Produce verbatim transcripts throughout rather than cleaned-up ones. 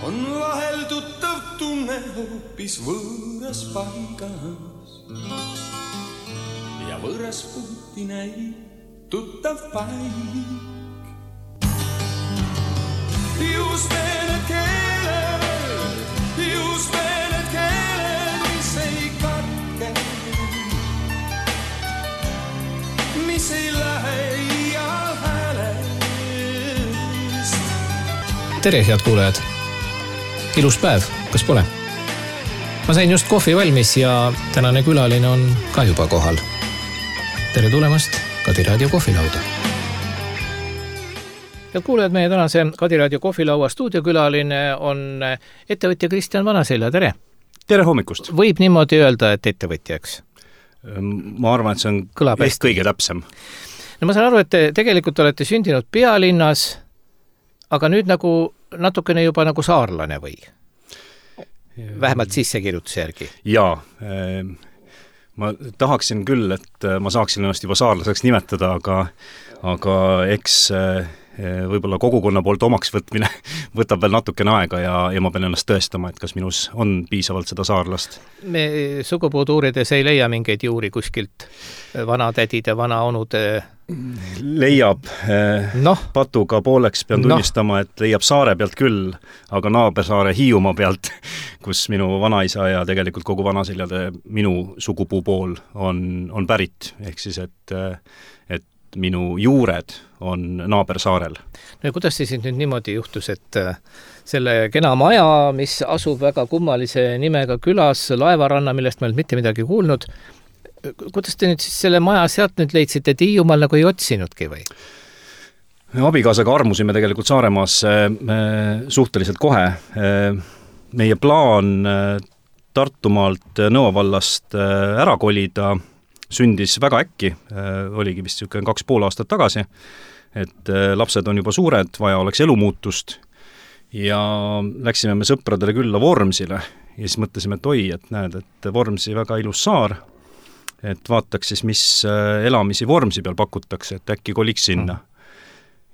on vahel tuttav tunne hoopis võõras paigas ja võõras puuti näib tuttav paik. Just need keeled, just need keeled, mis ei katke, mis ei lähe iial häälest. Tere, head kuulajad! Ilus päev, kas pole? Ma sain just kohvi valmis ja tänane külaline on ka juba kohal. Tere tulemast Kadi Raadio kohvilauda. Head kuulajad, meie tänase Kadi Raadio kohvilaua stuudiokülaline on ettevõtja Kristjan Vanaselja. Tere! Tere hommikust! Võib niimoodi öelda, et ettevõtjaks? Ma arvan, et see on ehk kõige täpsem. No ma saan aru, et te tegelikult olete sündinud pealinnas, aga nüüd nagu natukene juba nagu saarlane või? Vähemalt sissekirjutuse järgi. Jaa, ma tahaksin küll, et ma saaksin ennast juba saarlaseks nimetada, aga, aga eks võib-olla kogukonna poolt omaks võtmine võtab veel natukene aega ja, ja ma pean ennast tõestama, et kas minus on piisavalt seda saarlast. Me sugupuud uurides ei leia mingeid juuri kuskilt vanatädide, vanaonude? Leiab no. Patuga pooleks pean tunnistama, no. Et leiab saare pealt küll, aga naabersaare Hiiumaa pealt, kus minu vanaisa ja tegelikult kogu Vanaseljade minu sugupuu pool on, on pärit, ehk siis, et, et minu juured on naabersaarel. No ja kuidas siis nüüd niimoodi juhtus, et selle kena maja, mis asub väga kummalise nimega külas, Laevaranna, millest ma ei mitte midagi kuulnud, kuidas te nüüd siis selle maja sealt nüüd leidsite, et Hiiumaal nagu ei otsinudki või? Abikaasaga armusime tegelikult Saaremaas suhteliselt kohe. Meie plaan Tartumaalt Nõovallast ära kolida sündis väga äkki, oligi vist kaks pool aastat tagasi, et lapsed on juba suured, vaja oleks elumuutust ja läksime me sõpradele külla Vormsile ja siis mõtlesime, et oi, et näed, et Vormsi väga ilus saar, et vaataks siis, mis elamisi Vormsi peal pakutakse, et äkki koliks sinna.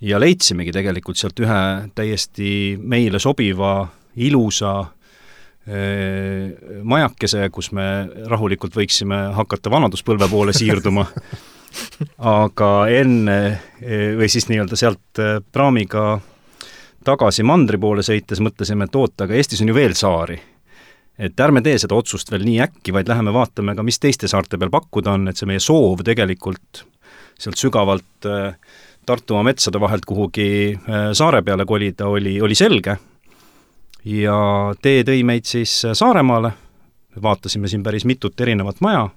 Ja leidsimegi tegelikult sealt ühe täiesti meile sobiva, ilusa majakese, kus me rahulikult võiksime hakata vanaduspõlve poole siirduma. Aga enne, või siis nii-öelda sealt praamiga tagasi mandri poole sõites mõtlesime, et oota, aga Eestis on ju veel saari. Et ärme tee seda otsust veel nii äkki, vaid läheme vaatame ka, mis teiste saarte peal pakkuda on, et see meie soov tegelikult sealt sügavalt Tartumaa metsade vahelt kuhugi saare peale kolida oli, oli selge. Ja tee tõi meid siis Saaremaale, vaatasime siin päris mitut erinevat maja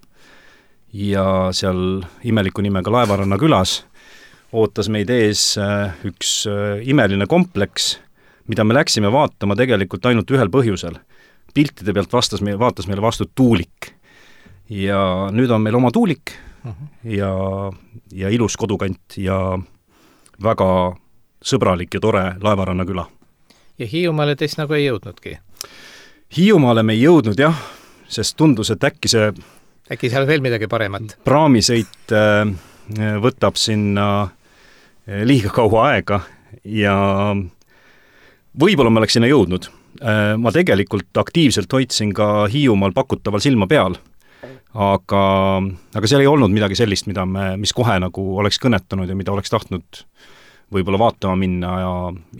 ja seal imeliku nimega Laevaranna külas ootas meid ees üks imeline kompleks, mida me läksime vaatama tegelikult ainult ühel põhjusel. Piltide pealt vastas meie, vaatas meile vastu tuulik ja nüüd on meil oma tuulik uh-huh. ja, ja ilus kodukant ja väga sõbralik ja tore Laevaranna küla. Ja Hiiumaale teist nagu ei jõudnudki? Hiiumaale me ei jõudnud, jah, sest tundus, et äkki see äkki seal veel midagi paremat? Praamisõit võtab sinna liiga kaua aega ja võib-olla ma oleks sinna jõudnud. Ma tegelikult aktiivselt hoidsin ka Hiiumaal pakutaval silma peal, aga, aga seal ei olnud midagi sellist, mida me, mis kohe nagu oleks kõnetanud ja mida oleks tahtnud võib-olla vaatama minna ja,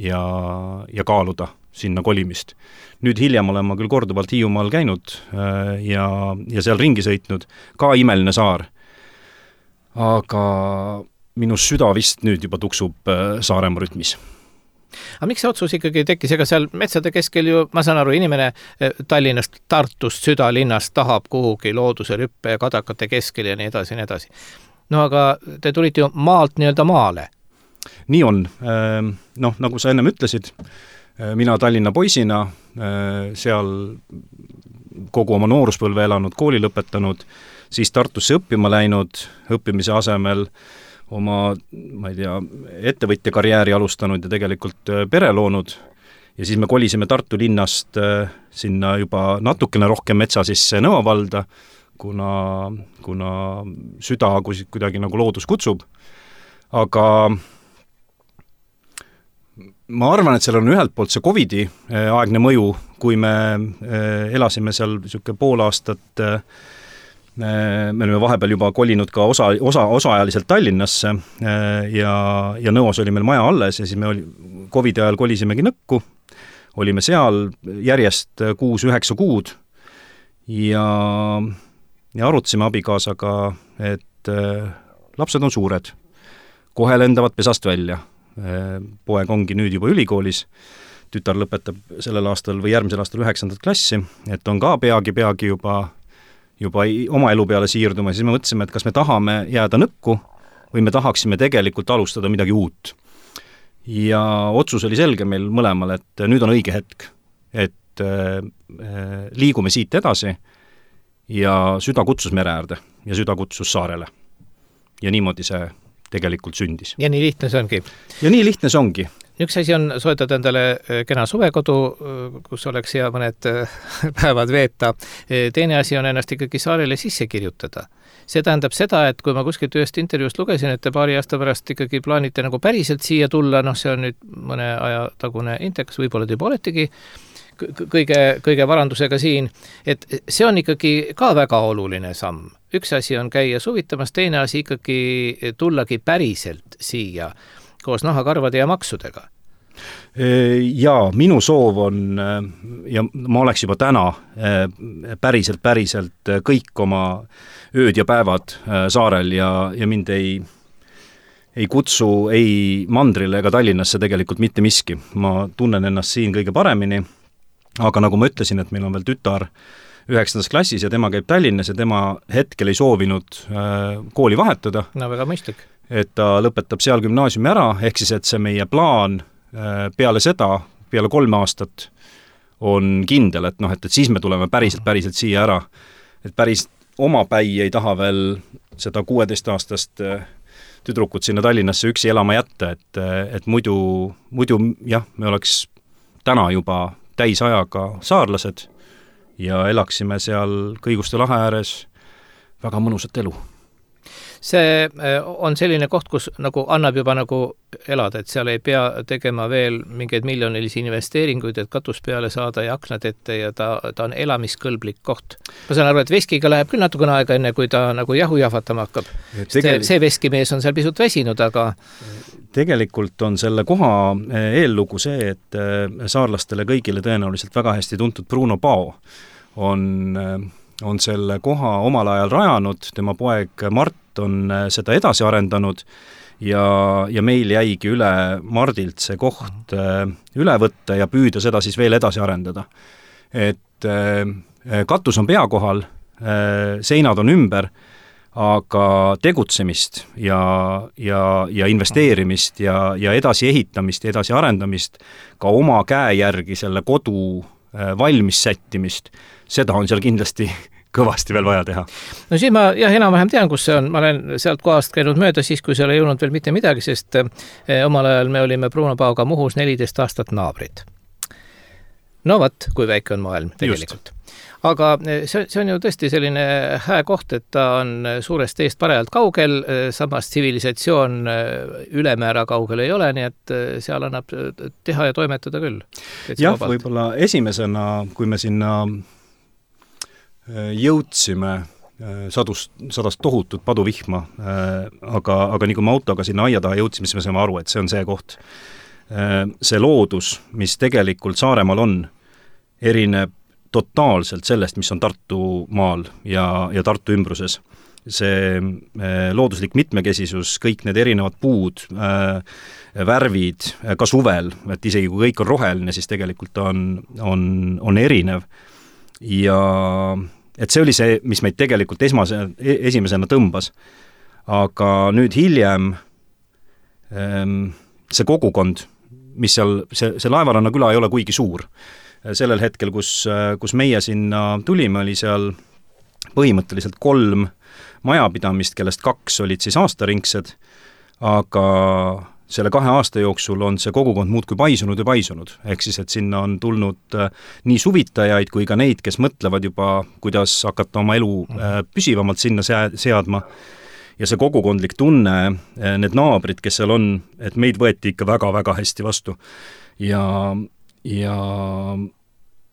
ja, ja kaaluda sinna kolimist. Nüüd hiljem olen ma küll korduvalt Hiiumaal käinud ja, ja seal ringi sõitnud, ka imeline saar. Aga minu süda vist nüüd juba tuksub Saaremaa rütmis. Aga miks see otsus ikkagi tekkis? Ega seal metsade keskel ju, ma saan aru, inimene Tallinnast, Tartust, südalinnast tahab kuhugi looduse rüppe ja kadakate keskel ja nii edasi ja nii edasi. No aga te tulite ju maalt nii-öelda maale. Nii on. Noh, nagu sa ennem ütlesid, mina Tallinna poisina, seal kogu oma nooruspõlve elanud, kooli lõpetanud, siis Tartusse õppima läinud, õppimise asemel oma, ma ei tea, ettevõtja karjääri alustanud ja tegelikult pere loonud. Ja siis me kolisime Tartu linnast sinna juba natukene rohkem metsa sisse Nõovalda, kuna, kuna süda kuidagi nagu loodus kutsub. Aga ma arvan, et seal on ühelt poolt see Covidi aegne mõju, kui me elasime seal niisugune pool aastat, me olime vahepeal juba kolinud ka osa, osa, osaajaliselt Tallinnasse ja, ja Nõos oli meil maja alles ja siis me oli, Covidi ajal kolisimegi Nõkku, olime seal järjest kuus-üheksa kuud ja, ja arutasime abikaasaga, et lapsed on suured, kohe lendavad pesast välja. Poeg ongi nüüd juba ülikoolis, tütar lõpetab sellel aastal või järgmisel aastal üheksandat klassi, et on ka peagi, peagi juba, juba oma elu peale siirduma, siis me mõtlesime, et kas me tahame jääda Nõkku või me tahaksime tegelikult alustada midagi uut. Ja otsus oli selge meil mõlemal, et nüüd on õige hetk, et liigume siit edasi ja süda kutsus mere äärde ja süda kutsus saarele. Ja niimoodi see tegelikult sündis. Ja nii lihtne see ongi. Ja nii lihtne see ongi. Üks asi on soetada endale kena suvekodu, kus oleks hea mõned päevad veeta. Teine asi on ennast ikkagi saarele sisse kirjutada. See tähendab seda, et kui ma kuskilt ühest intervjuust lugesin, et te paari aasta pärast ikkagi plaanite nagu päriselt siia tulla, noh see on nüüd mõne aja tagune intekas, võib-olla te juba oletegi kõige, kõige varandusega siin, et see on ikkagi ka väga oluline samm. Üks asi on käia suvitamas, teine asi ikkagi tullagi päriselt siia koos nahakarvade ja maksudega. Jaa, minu soov on, ja ma oleks juba täna päriselt, päriselt kõik oma ööd ja päevad saarel ja, ja mind ei, ei kutsu ei Mandrile ega Tallinnasse tegelikult mitte miski. Ma tunnen ennast siin kõige paremini, aga nagu ma ütlesin, et meil on veel tütar üheksandas klassis ja tema käib Tallinnas ja tema hetkel ei soovinud kooli vahetada. No väga mõistlik. Et ta lõpetab seal gümnaasiumi ära, ehk siis, et see meie plaan peale seda, peale kolme aastat on kindel, et noh, et, et siis me tuleme päriselt, päriselt siia ära. Et päris oma päi ei taha veel seda kuueteistaastast tüdrukut sinna Tallinnasse üksi elama jätta, et, et muidu, muidu jah, me oleks täna juba täisajaga saarlased ja elaksime seal Kõiguste lahe ääres väga mõnusat elu. See on selline koht, kus nagu annab juba nagu elada, et seal ei pea tegema veel mingeid miljonilisi investeeringuid, et katus peale saada ja aknad ette ja ta, ta on elamiskõlblik koht. Ma saan aru, et veskiga läheb küll natukene aega enne, kui ta nagu jahu jahvatama hakkab. Tegel... See veskimees on seal pisut väsinud, aga... Tegelikult on selle koha eellugu see, et saarlastele kõigile tõenäoliselt väga hästi tuntud Bruno Pao on, on selle koha omal ajal rajanud, tema poeg Mart on seda edasi arendanud ja, ja meil jäigi üle Mardilt see koht üle võtta ja püüda seda siis veel edasi arendada. Et katus on pea kohal, seinad on ümber, aga tegutsemist ja, ja, ja investeerimist ja, ja edasi ehitamist ja edasi arendamist, ka oma käe järgi selle kodu valmis sättimist, seda on seal kindlasti kõvasti veel vaja teha. No siis ma jah, enam-vähem tean, kus see on. Ma olen sealt kohast käinud mööda siis, kui seal ei jõudnud veel mitte midagi, sest omal ajal me olime Bruno Paoga Muhus neliteist aastat naabrid. No vat, kui väike on maailm tegelikult. Just. Aga see, see on ju tõesti selline hää koht, et ta on suurest teest parajalt kaugel, samas tsivilisatsioon ülemäära kaugel ei ole, nii et seal annab teha ja toimetada küll. Jah, võib-olla esimesena, kui me sinna jõudsime sadust, sadast tohutut paduvihma, aga, aga nii kui me autoga sinna aia taha jõudsime, siis me saame aru, et see on see koht. See loodus, mis tegelikult Saaremaal on, erineb totaalselt sellest, mis on Tartumaal ja, ja Tartu ümbruses. See looduslik mitmekesisus, kõik need erinevad puud, värvid, ka suvel, et isegi kui kõik on roheline, siis tegelikult on, on, on erinev. Ja et see oli see, mis meid tegelikult esmase, esimesena tõmbas. Aga nüüd hiljem see kogukond, mis seal, see, see Laevaranna küla ei ole kuigi suur. Sellel hetkel, kus, kus meie sinna tulime, oli seal põhimõtteliselt kolm majapidamist, kellest kaks olid siis aastaringsed, aga selle kahe aasta jooksul on see kogukond muudkui paisunud ja paisunud. Ehk siis, et sinna on tulnud nii suvitajaid kui ka neid, kes mõtlevad juba, kuidas hakata oma elu püsivamalt sinna seadma. Ja see kogukondlik tunne, need naabrid, kes seal on, et meid võeti ikka väga-väga hästi vastu. ja, ja,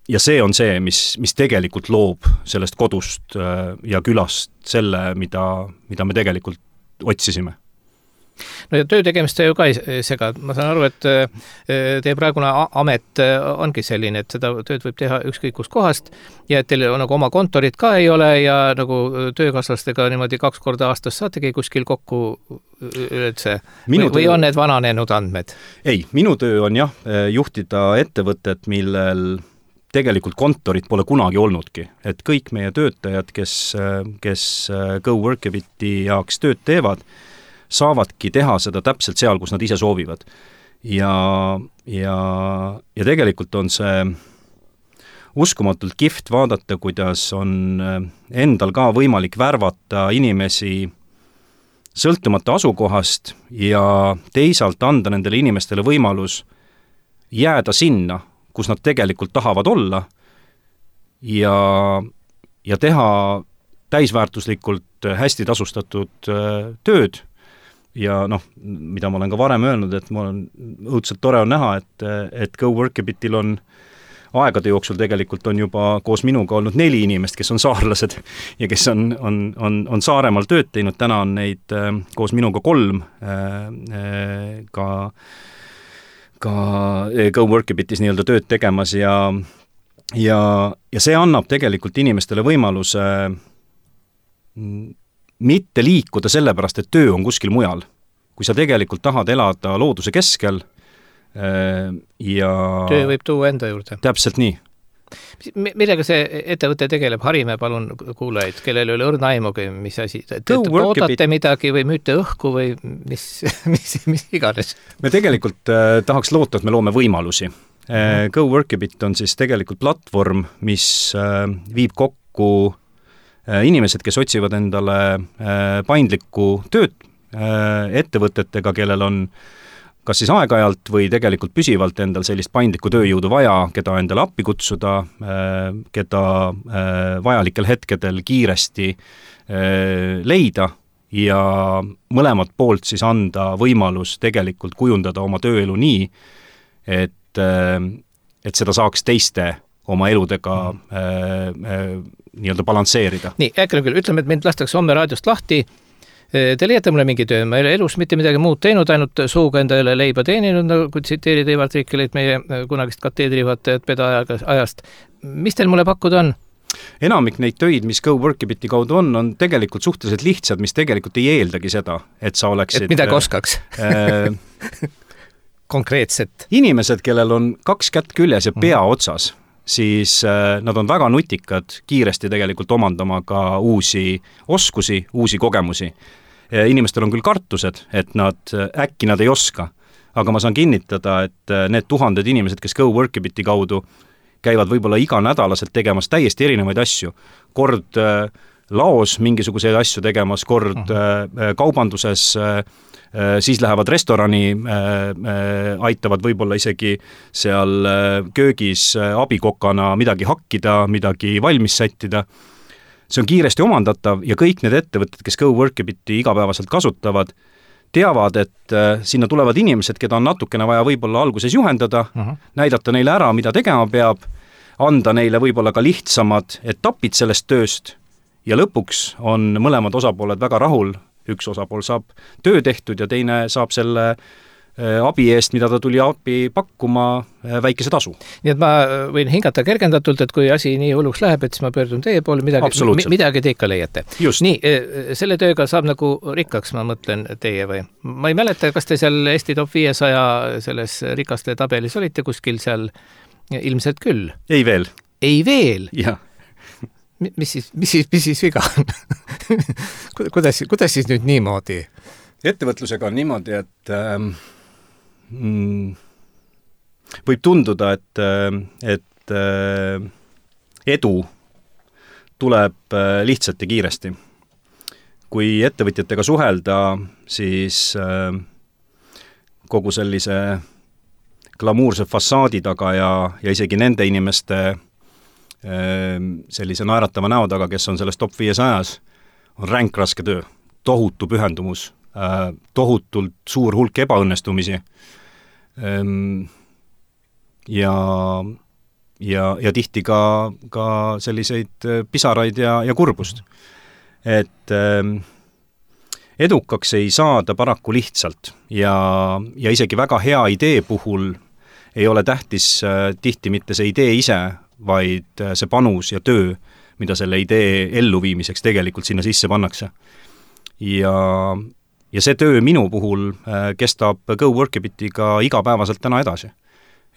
ja see on see, mis, mis tegelikult loob sellest kodust ja külast selle, mida, mida me tegelikult otsisime. No ja töö tegemist sa ju ka ei sega. Ma saan aru, et teie praegune amet ongi selline, et seda tööd võib teha ükskõik kus kohast ja et teil nagu oma kontorit ka ei ole ja nagu töökaaslastega niimoodi kaks korda aastas saategi kuskil kokku üldse või, töö... või on need vananenud andmed? Ei, minu töö on jah, juhtida ettevõtet, millel tegelikult kontorit pole kunagi olnudki. Et kõik meie töötajad, kes, kes GoWorkabiti jaoks tööd teevad, saavadki teha seda täpselt seal, kus nad ise soovivad. Ja, ja, ja tegelikult on see uskumatult kihvt vaadata, kuidas on endal ka võimalik värvata inimesi sõltumata asukohast ja teisalt anda nendele inimestele võimalus jääda sinna, kus nad tegelikult tahavad olla ja, ja teha täisväärtuslikult hästi tasustatud tööd. Ja noh, mida ma olen ka varem öelnud, et mul on õudselt tore on näha, et, et GoWorkabitil on aegade jooksul tegelikult on juba koos minuga olnud neli inimest, kes on saarlased ja kes on, on, on, on Saaremaal tööd teinud. Täna on neid äh, koos minuga kolm äh, ka, ka GoWorkabitis nii-öelda tööd tegemas ja, ja, ja see annab tegelikult inimestele võimaluse mm, mitte liikuda sellepärast, et töö on kuskil mujal. Kui sa tegelikult tahad elada looduse keskel ja... Töö võib tuua enda juurde. Täpselt nii. Millega see ettevõte tegeleb? Harime palun kuulajaid, kellel ei ole õrna aimugi, mis asi. Te toodate midagi või müüte õhku või mis, mis, mis iganes? Me tegelikult äh, tahaks loota, et me loome võimalusi. Äh, GoWorkabit on siis tegelikult platvorm, mis äh, viib kokku inimesed, kes otsivad endale paindlikku tööd ettevõtetega, kellel on kas siis aeg-ajalt või tegelikult püsivalt endal sellist paindlikku tööjõudu vaja, keda endale appi kutsuda, keda vajalikel hetkedel kiiresti leida ja mõlemad poolt siis anda võimalus tegelikult kujundada oma tööelu nii, et, et seda saaks teiste oma eludega äh, äh, nii-öelda balansseerida. Nii, äkki küll, ütleme, et mind lastakse homme raadiost lahti. Te leiate mulle mingi töö, ma ei ole elus mitte midagi muud teinud, ainult suuga endale leiba teeninud, nagu tsiteerida Ivar Triikelit, meie kunagist kateedrijuhatajat pedaajast. Mis teil mulle pakkuda on? Enamik neid töid, mis GoWorkabiti kaudu on, on tegelikult suhteliselt lihtsad, mis tegelikult ei eeldagi seda, et sa oleksid... Et midagi oskaks? Äh, konkreetset. Inimesed, kellel on kaks kätt küljes ja pea otsas, siis äh, nad on väga nutikad kiiresti tegelikult omandama ka uusi oskusi, uusi kogemusi. Inimestel on küll kartused, et nad, äkki nad ei oska, aga ma saan kinnitada, et need tuhanded inimesed, kes GoWorkabiti kaudu käivad võib-olla iganädalaselt tegemas täiesti erinevaid asju. Kord äh, laos mingisuguseid asju tegemas, kord äh, kaubanduses äh, siis lähevad restorani, aitavad võib-olla isegi seal köögis abikokana midagi hakkida, midagi valmis sättida. See on kiiresti omandatav ja kõik need ettevõtted, kes GoWorkabiti igapäevaselt kasutavad, teavad, et sinna tulevad inimesed, keda on natukene vaja võib-olla alguses juhendada, uh-huh. näidata neile ära, mida tegema peab, anda neile võib-olla ka lihtsamad etapid sellest tööst ja lõpuks on mõlemad osapooled väga rahul. Üks osapool saab töö tehtud ja teine saab selle abi eest, mida ta tuli abi pakkuma, väikese tasu. Nii et ma võin hingata kergendatult, et kui asi nii hulluks läheb, et siis ma pöördun teie poole, midagi, midagi te ikka leiate. Just. Nii, selle tööga saab nagu rikkaks, ma mõtlen teie või? Ma ei mäleta, kas te seal Eesti top viiesaja selles rikaste tabelis olite kuskil seal ilmselt küll? Ei veel. Ei veel? Jah. Mis siis, mis siis, mis siis viga on? kuidas, kuidas siis nüüd niimoodi? Ettevõtlusega on niimoodi, et ähm, mm, võib tunduda, et, et äh, edu tuleb äh, lihtsalt ja kiiresti. Kui ettevõtjatega suhelda, siis äh, kogu sellise glamuurse fassaadi taga ja, ja isegi nende inimeste sellise naeratava näo taga, kes on selles top viiesajas, on ränk raske töö, tohutu pühendumus, tohutult suur hulk ebaõnnestumisi ja ja, ja tihti ka, ka selliseid pisaraid ja, ja kurbust. Et äh, edukaks ei saada paraku lihtsalt ja, ja isegi väga hea idee puhul ei ole tähtis äh, tihti mitte see idee ise, vaid äh, see panus ja töö, mida selle idee elluviimiseks tegelikult sinna sisse pannakse. Ja, ja see töö minu puhul äh, kestab Go Workabitiga igapäevaselt täna edasi.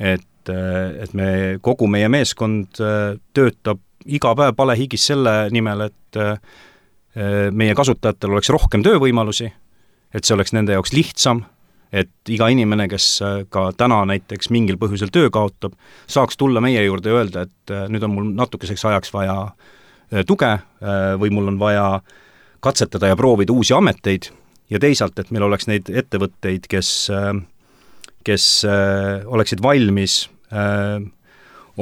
Et, et me, kogu meie meeskond töötab iga päev palehigis selle nimel, et meie kasutajatel oleks rohkem töövõimalusi, et see oleks nende jaoks lihtsam, et iga inimene, kes ka täna näiteks mingil põhjusel töö kaotab, saaks tulla meie juurde ja öelda, et nüüd on mul natukeseks ajaks vaja tuge või mul on vaja katsetada ja proovida uusi ameteid ja teisalt, et meil oleks neid ettevõtteid, kes kes äh, oleksid valmis äh,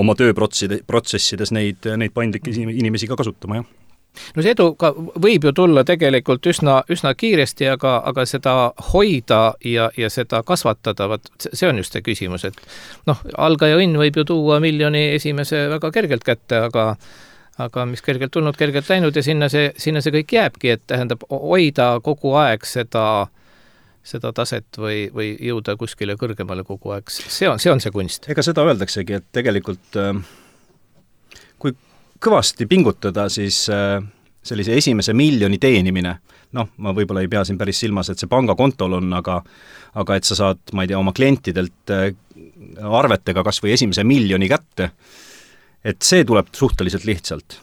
oma tööprotsessides neid, neid paindlikke inimesi ka kasutama, jah. No see edu ka võib ju tulla tegelikult üsna, üsna kiiresti, aga, aga seda hoida ja, ja seda kasvatada, vaat see on just see küsimus, et noh, algaja õnn võib ju tuua miljoni esimese väga kergelt kätte, aga aga mis kergelt tulnud, kergelt läinud ja sinna see, sinna see kõik jääbki, et tähendab hoida kogu aeg seda seda taset või, või jõuda kuskile kõrgemale kogu aeg. See on, see on see kunst. Ega seda öeldaksegi, et tegelikult kui kõvasti pingutada, siis sellise esimese miljoni teenimine, noh, ma võib-olla ei pea siin päris silmas, et see pangakontol on, aga, aga et sa saad, ma ei tea, oma klientidelt arvetega kas või esimese miljoni kätte, et see tuleb suhteliselt lihtsalt.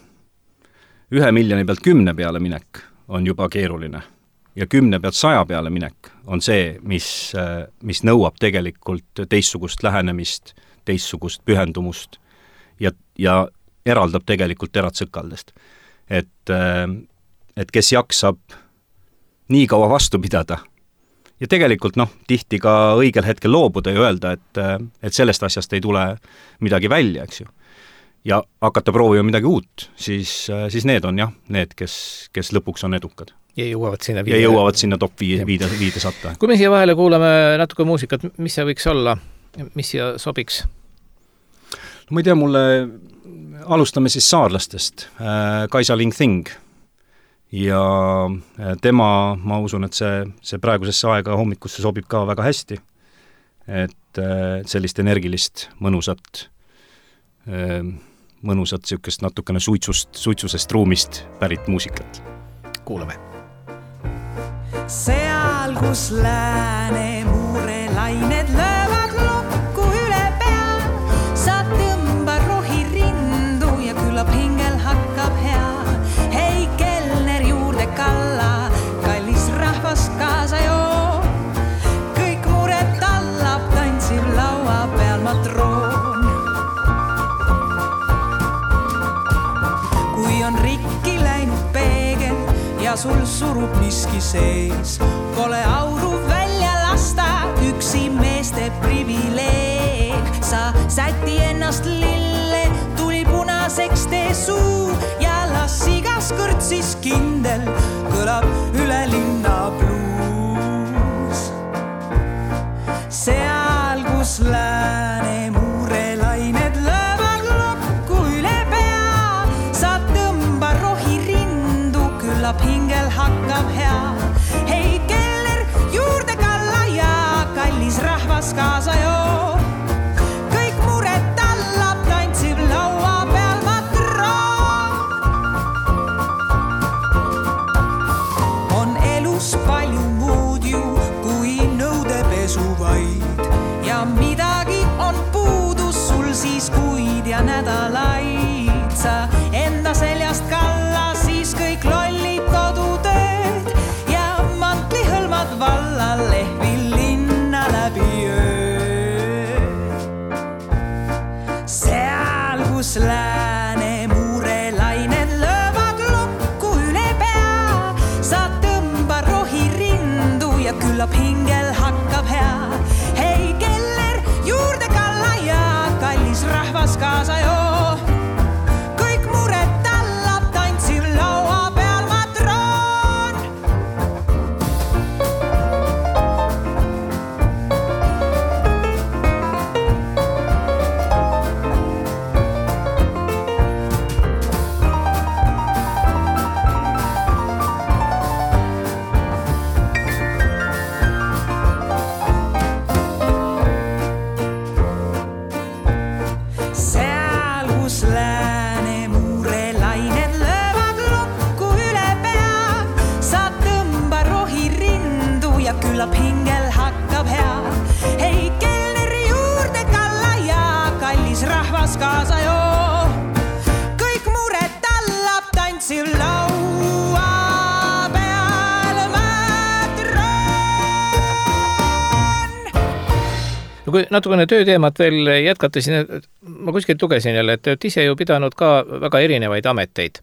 Ühe miljoni pealt kümne peale minek on juba keeruline. Ja kümne pealt saja peale minek on see, mis, mis nõuab tegelikult teistsugust lähenemist, teistsugust pühendumust ja, ja eraldab tegelikult terad sõkaldest. Et, et kes jaksab nii kaua vastu pidada ja tegelikult noh, tihti ka õigel hetkel loobuda ja öelda, et, et sellest asjast ei tule midagi välja, eks ju. Ja hakata proovima midagi uut, siis, siis need on jah, need, kes, kes lõpuks on edukad. Ja jõuavad sinna viide. Ja jõuavad sinna top viide, viide, viide satta. Kui me siia vahele kuulame natuke muusikat, mis see võiks olla? Mis siia sobiks? No ma ei tea, mulle alustame siis saarlastest. Kaisa Ling Thing. Ja tema, ma usun, et see, see praegusesse aega hommikusse sobib ka väga hästi. Et sellist energilist, mõnusat, mõnusat siukest natukene suitsust, suitsusest ruumist pärit muusikat. Kuulame. Seal, kus lääne muure lained löövad lokku üle pea, sa tõmba rohi rindu ja küllap hingel hakkab hea. Hei kelner juurde kalla, kallis rahvas kaasa joo. Kõik mured tallab, tantsib laua peal matroon. Kui on rikki läinud peegel ja sul surub miski sees, pole auru välja lasta, üksi meeste privileeg. Sa säti ennast lille, tuli punaseks tee suu ja las igas kõrtsis kindel kõlab üle linna bluus. Seal, kus lääne muure lained löövad lokku üle pea, sa tõmba rohi rindu, küllap hingel hakkab hea. Hei keller juurde kalla ja kallis rahvas kaasa joo. Kõik mured tallab, tantsib laua peal matroon. On elus palju muud ju kui nõudepesu vaid ja midagi on puudus sul siis kuid ja nädalaid. Sa enda seljast kalla siis kõik lollid kodutööd ja mantli hõlmad valla lehvil linna läbi öö. Seal, kus lääne muure lained löövad lokku üle pea, sa tõmba rohi rindu ja küllap hingel hakkab hea. Hei keller juurde kalla ja kallis rahvas kaasa joo. siis rahvas kaasa joo. Kõik mured tallab tantsil laua peal mätron. No kui natukene tööteemat veel jätkata, siis ma kuskilt lugesin jälle, et te olete ise ju pidanud ka väga erinevaid ameteid.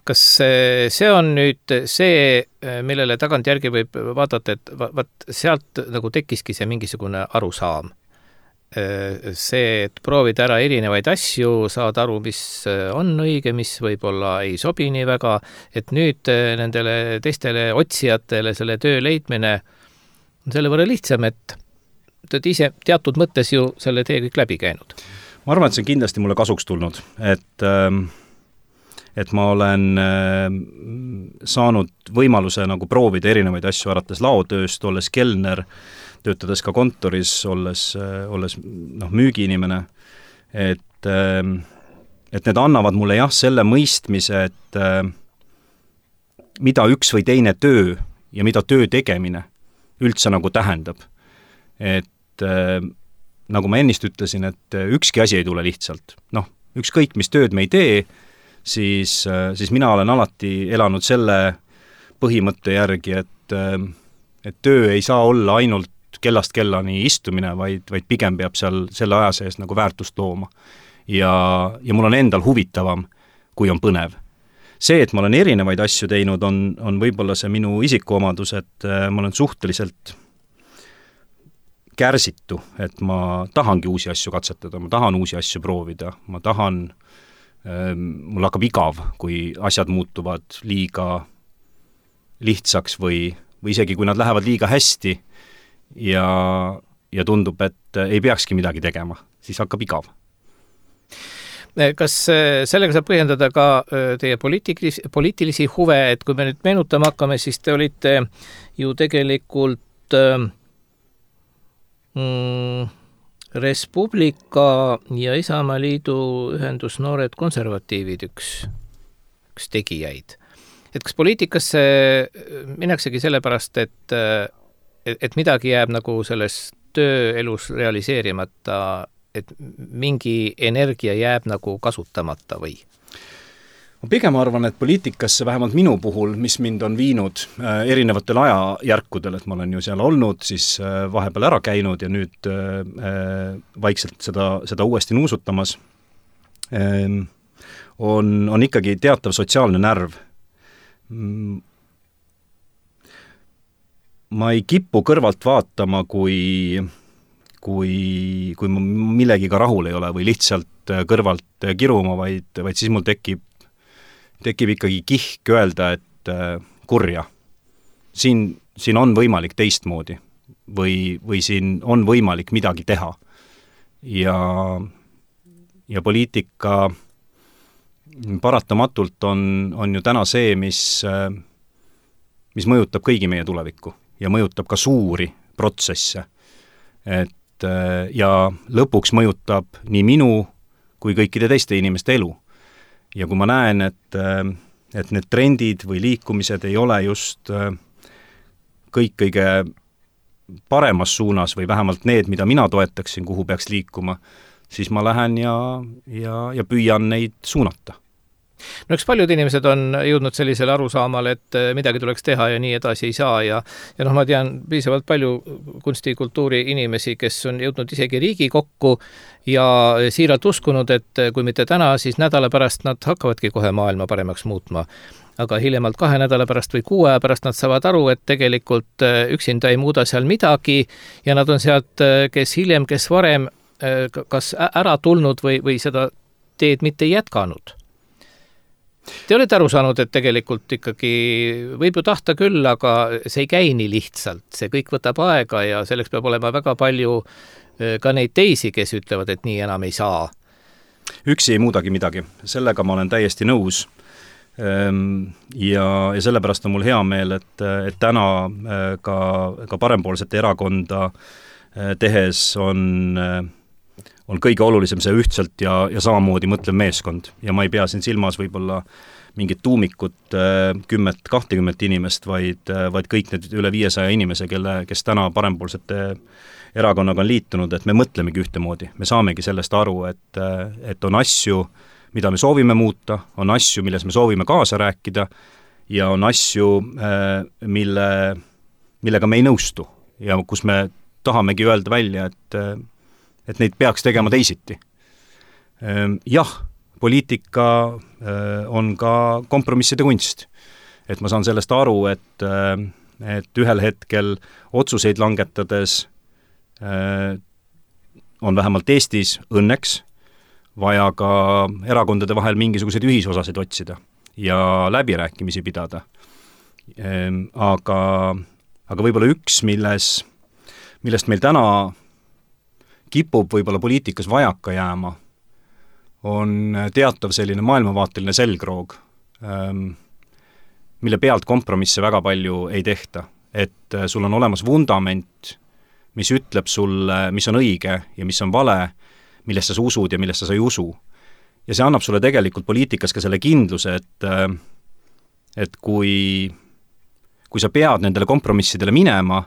Kas see on nüüd see, millele tagantjärgi võib vaadata, et vaat sealt nagu tekkiski see mingisugune arusaam? See, et proovida ära erinevaid asju, saad aru, mis on õige, mis võib-olla ei sobi nii väga, et nüüd nendele teistele otsijatele selle töö leidmine on selle võrra lihtsam, et te olete ise teatud mõttes ju selle tee kõik läbi käinud. Ma arvan, et see on kindlasti mulle kasuks tulnud, et, et ma olen saanud võimaluse nagu proovida erinevaid asju, alates laotööst, olles kelner, töötades ka kontoris, olles, olles noh, müügiinimene, et, et need annavad mulle jah selle mõistmise, et mida üks või teine töö ja mida töö tegemine üldse nagu tähendab. Et nagu ma ennist ütlesin, et ükski asi ei tule lihtsalt. Noh, ükskõik mis tööd me ei tee, siis, siis mina olen alati elanud selle põhimõtte järgi, et, et töö ei saa olla ainult kellast kellani istumine, vaid, vaid pigem peab seal selle aja sees nagu väärtust looma. Ja, ja mul on endal huvitavam, kui on põnev. See, et ma olen erinevaid asju teinud, on, on võib-olla see minu isikuomadus, et ma olen suhteliselt kärsitu, et ma tahangi uusi asju katsetada, ma tahan uusi asju proovida, ma tahan, ähm, mul hakkab igav, kui asjad muutuvad liiga lihtsaks või, või isegi kui nad lähevad liiga hästi ja, ja tundub, et ei peakski midagi tegema, siis hakkab igav. Kas sellega saab põhjendada ka teie poliitilisi, poliitilisi huve, et kui me nüüd meenutama hakkame, siis te olite ju tegelikult Mm, Res Publica ja Isamaa Liidu ühendus Noored Konservatiivid üks, üks tegijaid. Et kas poliitikasse minnaksegi sellepärast, et, et midagi jääb nagu selles tööelus realiseerimata, et mingi energia jääb nagu kasutamata või? Ma pigem arvan, et poliitikasse vähemalt minu puhul, mis mind on viinud äh, erinevatel ajajärkudel, et ma olen ju seal olnud, siis äh, vahepeal ära käinud ja nüüd äh, vaikselt seda, seda uuesti nuusutamas, äh, on, on ikkagi teatav sotsiaalne närv. Ma ei kipu kõrvalt vaatama, kui, kui, kui ma millegiga rahul ei ole või lihtsalt kõrvalt kiruma, vaid, vaid siis mul tekib tekib ikkagi kihk öelda, et äh, kurja. Siin, siin on võimalik teistmoodi või, või siin on võimalik midagi teha. Ja, ja poliitika paratamatult on, on ju täna see, mis, äh, mis mõjutab kõigi meie tulevikku ja mõjutab ka suuri protsesse. Et, äh, ja lõpuks mõjutab nii minu kui kõikide teiste inimeste elu. Ja kui ma näen, et, et need trendid või liikumised ei ole just kõik kõige paremas suunas või vähemalt need, mida mina toetaksin, kuhu peaks liikuma, siis ma lähen ja, ja, ja püüan neid suunata. No eks paljud inimesed on jõudnud sellisele arusaamale, et midagi tuleks teha ja nii edasi ei saa ja, ja noh, ma tean piisavalt palju kunstikultuuri inimesi, kes on jõudnud isegi Riigikokku ja siiralt uskunud, et kui mitte täna, siis nädala pärast nad hakkavadki kohe maailma paremaks muutma. Aga hiljemalt kahe nädala pärast või kuue pärast nad saavad aru, et tegelikult üksinda ei muuda seal midagi ja nad on sealt, kes hiljem, kes varem, kas ära tulnud või, või seda teed mitte jätkanud. Te olete aru saanud, et tegelikult ikkagi võib ju tahta küll, aga see ei käi nii lihtsalt. See kõik võtab aega ja selleks peab olema väga palju ka neid teisi, kes ütlevad, et nii enam ei saa. Üksi ei muudagi midagi. Sellega ma olen täiesti nõus. Ja, ja sellepärast on mul hea meel, et, et täna ka, ka parempoolsete erakonda tehes on, on kõige olulisem see ühtselt ja, ja samamoodi mõtlev meeskond. Ja ma ei pea siin silmas võib-olla mingit tuumikut kümmet, kahtekümmet inimest, vaid, vaid kõik need üle viiesaja inimese, kelle, kes täna parempoolsete erakonnaga on liitunud, et me mõtlemegi ühtemoodi, me saamegi sellest aru, et, et on asju, mida me soovime muuta, on asju, milles me soovime kaasa rääkida ja on asju, mille, millega me ei nõustu ja kus me tahamegi öelda välja, et, et neid peaks tegema teisiti. Jah, poliitika on ka kompromisside kunst. Et ma saan sellest aru, et, et ühel hetkel otsuseid langetades on vähemalt Eestis õnneks vaja ka erakondade vahel mingisuguseid ühisosasid otsida ja läbirääkimisi pidada. Aga, aga võib-olla üks, milles, millest meil täna kipub võib-olla poliitikas vajaka jääma, on teatav selline maailmavaateline selgroog, mille pealt kompromisse väga palju ei tehta. Et sul on olemas vundament, mis ütleb sulle, mis on õige ja mis on vale, millest sa usud ja millest sa ei usu. Ja see annab sulle tegelikult poliitikas ka selle kindluse, et, et kui, kui sa pead nendele kompromissidele minema,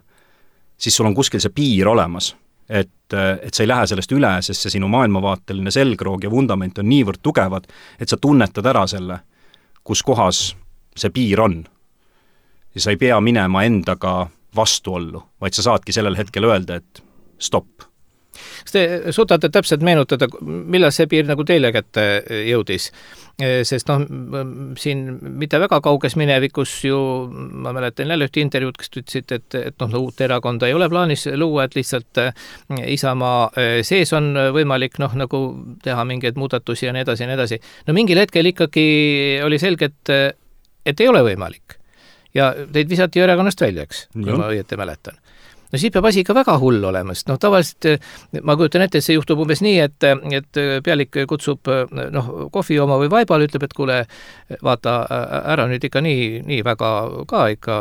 siis sul on kuskil see piir olemas. Et, et sa ei lähe sellest üle, sest see sinu maailmavaateline selgroog ja vundament on niivõrd tugevad, et sa tunnetad ära selle, kus kohas see piir on. Ja sa ei pea minema endaga vastuollu, vaid sa saadki sellel hetkel öelda, et stopp. Kas te suutate täpselt meenutada, millal see piir nagu teile kätte jõudis? Sest noh, siin mitte väga kauges minevikus ju, ma mäletan jälle ühte intervjuud, kes ütlesid, et, et noh, uut erakonda ei ole plaanis luua, et lihtsalt Isamaa sees on võimalik noh, nagu teha mingeid muudatusi ja nii edasi ja nii edasi. No mingil hetkel ikkagi oli selge, et, et ei ole võimalik. Ja teid visati erakonnast välja, eks, kui ma õieti mäletan. No siis peab asi ikka väga hull olema, sest noh, tavaliselt ma kujutan ette, et see juhtub umbes nii, et, et pealik kutsub noh, kohvi oma või vaibal, ütleb, et kuule, vaata ära nüüd ikka nii, nii väga ka ikka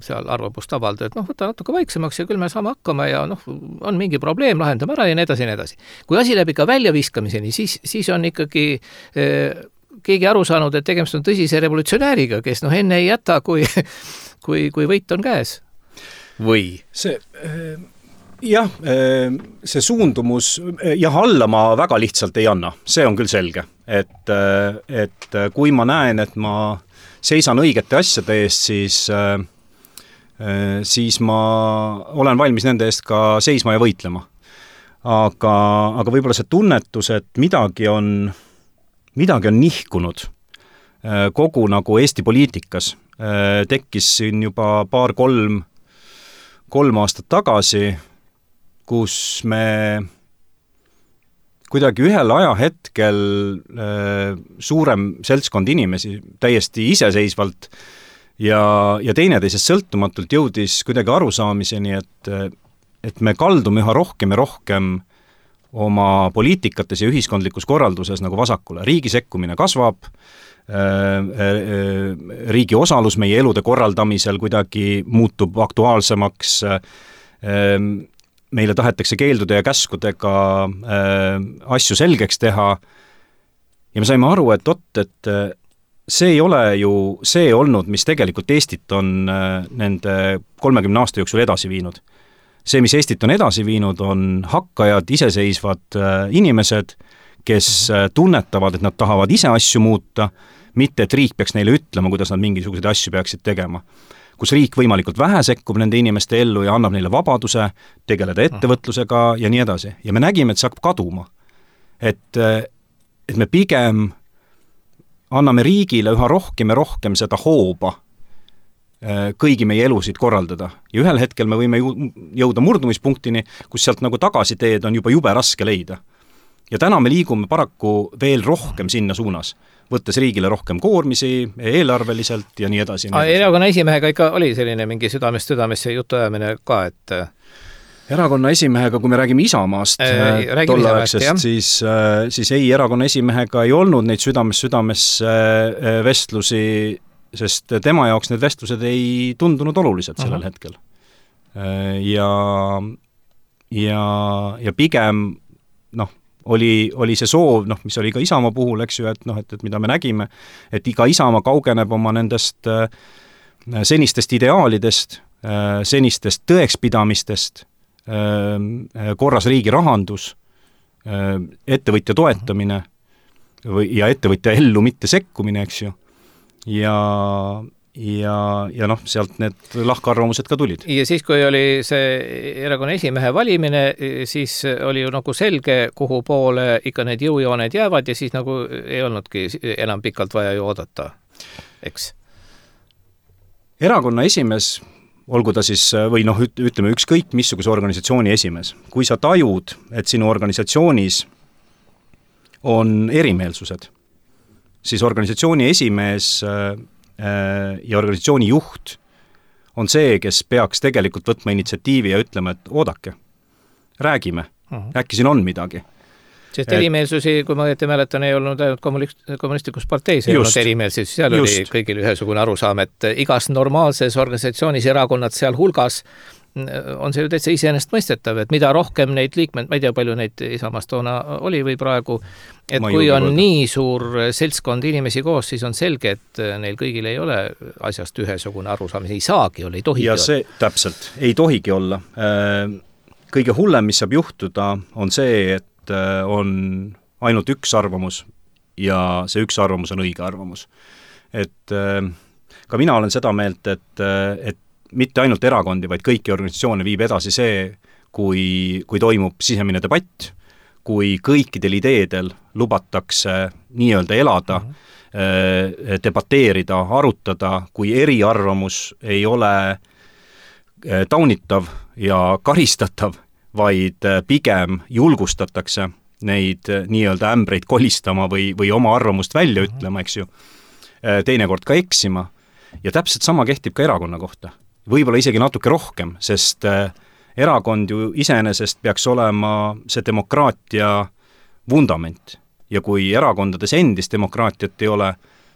seal arvamust avalda, et noh, võta natuke vaiksemaks ja küll me saame hakkama ja noh, on mingi probleem, lahendame ära ja nii edasi ja nii edasi. Kui asi läheb ikka väljaviskamiseni, siis, siis on ikkagi eh, keegi aru saanud, et tegemist on tõsise revolutsionääriga, kes noh, enne ei jäta, kui, kui, kui võit on käes. Või? See, jah, see suundumus, jah, alla ma väga lihtsalt ei anna, see on küll selge, et, et kui ma näen, et ma seisan õigete asjade eest, siis, siis ma olen valmis nende eest ka seisma ja võitlema. Aga, aga võib-olla see tunnetus, et midagi on, midagi on nihkunud kogu nagu Eesti poliitikas, tekkis siin juba paar-kolm kolm aastat tagasi, kus me kuidagi ühel ajahetkel äh, suurem seltskond inimesi täiesti iseseisvalt ja, ja teineteisest sõltumatult jõudis kuidagi arusaamiseni, et, et me kaldume üha rohkem ja rohkem oma poliitikates ja ühiskondlikus korralduses nagu vasakule. Riigi sekkumine kasvab, riigi osalus meie elude korraldamisel kuidagi muutub aktuaalsemaks, meile tahetakse keeldude ja käskudega asju selgeks teha ja me saime aru, et oot, et see ei ole ju see olnud, mis tegelikult Eestit on nende kolmekümne aasta jooksul edasi viinud. See, mis Eestit on edasi viinud, on hakkajad, iseseisvad inimesed, kes tunnetavad, et nad tahavad ise asju muuta, mitte et riik peaks neile ütlema, kuidas nad mingisuguseid asju peaksid tegema. Kus riik võimalikult vähe sekkub nende inimeste ellu ja annab neile vabaduse tegeleda ettevõtlusega ja nii edasi. Ja me nägime, et see hakkab kaduma. Et, et me pigem anname riigile üha rohkem ja rohkem seda hooba kõigi meie elusid korraldada. Ja ühel hetkel me võime jõuda murdumispunktini, kus sealt nagu tagasiteed on juba jube raske leida. Ja täna me liigume paraku veel rohkem sinna suunas, võttes riigile rohkem koormisi, eelarveliselt ja nii edasi. Erakonna esimehega ikka oli selline mingi südamest südamesse jutuajamine ka, et erakonna esimehega, kui me räägime Isamaast äh, tollaegsest, siis, äh, siis ei, erakonna esimehega ei olnud neid südamest südamesse äh, vestlusi, sest tema jaoks need vestlused ei tundunud olulised sellel uh-huh. hetkel. Äh, ja, ja, ja pigem noh, oli, oli see soov, noh, mis oli ka Isamaa puhul, eks ju, et, noh, et, et mida me nägime, et iga Isamaa kaugeneb oma nendest äh, senistest ideaalidest, äh, senistest tõekspidamistest, korras riigi rahandus, ettevõtja toetamine või, ja ettevõtja ellu mitte sekkumine, eks ju, ja ja, ja noh, sealt need lahkarvamused ka tulid. Ja siis, kui oli see erakonna esimehe valimine, siis oli ju nagu selge, kuhu poole ikka need jõujooned jäävad ja siis nagu ei olnudki enam pikalt vaja ju oodata, eks? Erakonna esimees, olgu ta siis, või noh, ütleme ükskõik missuguse organisatsiooni esimees, kui sa tajud, et sinu organisatsioonis on erimeelsused, siis organisatsiooni esimees ja organisatsiooni juht on see, kes peaks tegelikult võtma initsiatiivi ja ütlema, et oodake, räägime, uh-huh. äkki siin on midagi. Sest erimeelsusi, kui ma õieti mäletan, ei olnud ainult kommunistlikus parteis, ei olnud erimeelsusi, seal just. Oli kõigil ühesugune arusaam, et igas normaalses organisatsioonis erakonnad seal hulgas on see ju täitsa iseenesest mõistetav, et mida rohkem neid liikmed, ma ei tea, palju neid Isamaast toona oli või praegu, et ma kui on võtta. Nii suur seltskond inimesi koos, siis on selge, et neil kõigil ei ole asjast ühesugune arusaam, ei saagi olla, ei tohigi ja see, olla. Täpselt, ei tohigi olla. Kõige hullem, mis saab juhtuda, on see, et on ainult üks arvamus ja see üks arvamus on õige arvamus. Et ka mina olen seda meelt, et, et mitte ainult erakondi, vaid kõiki organisatsioone viib edasi see, kui, kui toimub sisemine debatt, kui kõikidel ideedel lubatakse nii-öelda elada, mm-hmm. debateerida, arutada, kui eriarvamus ei ole taunitav ja karistatav, vaid pigem julgustatakse neid nii-öelda ämbreid kolistama või, või oma arvamust välja ütlema, eks ju, teinekord ka eksima. Ja täpselt sama kehtib ka erakonna kohta. Võib-olla isegi natuke rohkem, sest erakond ju iseenesest peaks olema see demokraatia vundament. Ja kui erakondades endist demokraatiat ei ole,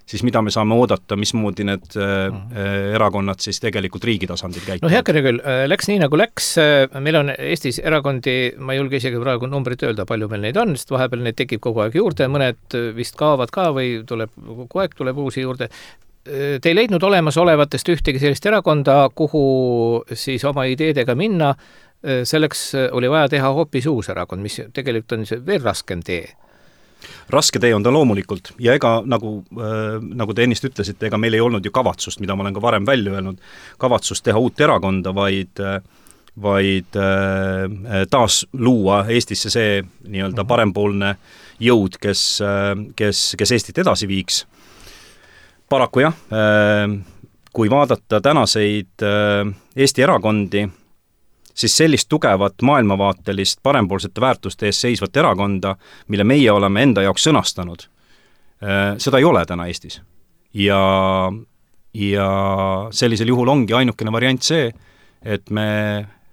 siis mida me saame oodata, mismoodi need mm. erakonnad siis tegelikult riigi tasandil käituvad? No heakene küll, läks nii nagu läks, meil on Eestis erakondi, ma ei julge isegi praegu numbrit öelda, palju meil neid on, sest vahepeal neid tekib kogu aeg juurde, mõned vist kaovad ka või tuleb, kogu aeg tuleb uusi juurde. Te ei leidnud olemas olevatest ühtegi sellist erakonda, kuhu siis oma ideedega minna, selleks oli vaja teha hoopis uus erakond, mis tegelikult on see veel raskem tee. Raske tee on ta loomulikult ja ega nagu, äh, nagu te ennist ütlesite, ega meil ei olnud ju kavatsust, mida ma olen ka varem välja öelnud, kavatsust teha uut erakonda, vaid, vaid äh, taas luua Eestisse see nii-öelda parempoolne jõud, kes, kes, kes Eestit edasi viiks. Paraku jah, kui vaadata tänaseid Eesti erakondi, siis sellist tugevat maailmavaatelist parempoolsete väärtuste ees seisvat erakonda, mille meie oleme enda jaoks sõnastanud, seda ei ole täna Eestis. Ja, ja sellisel juhul ongi ainukene variant see, et me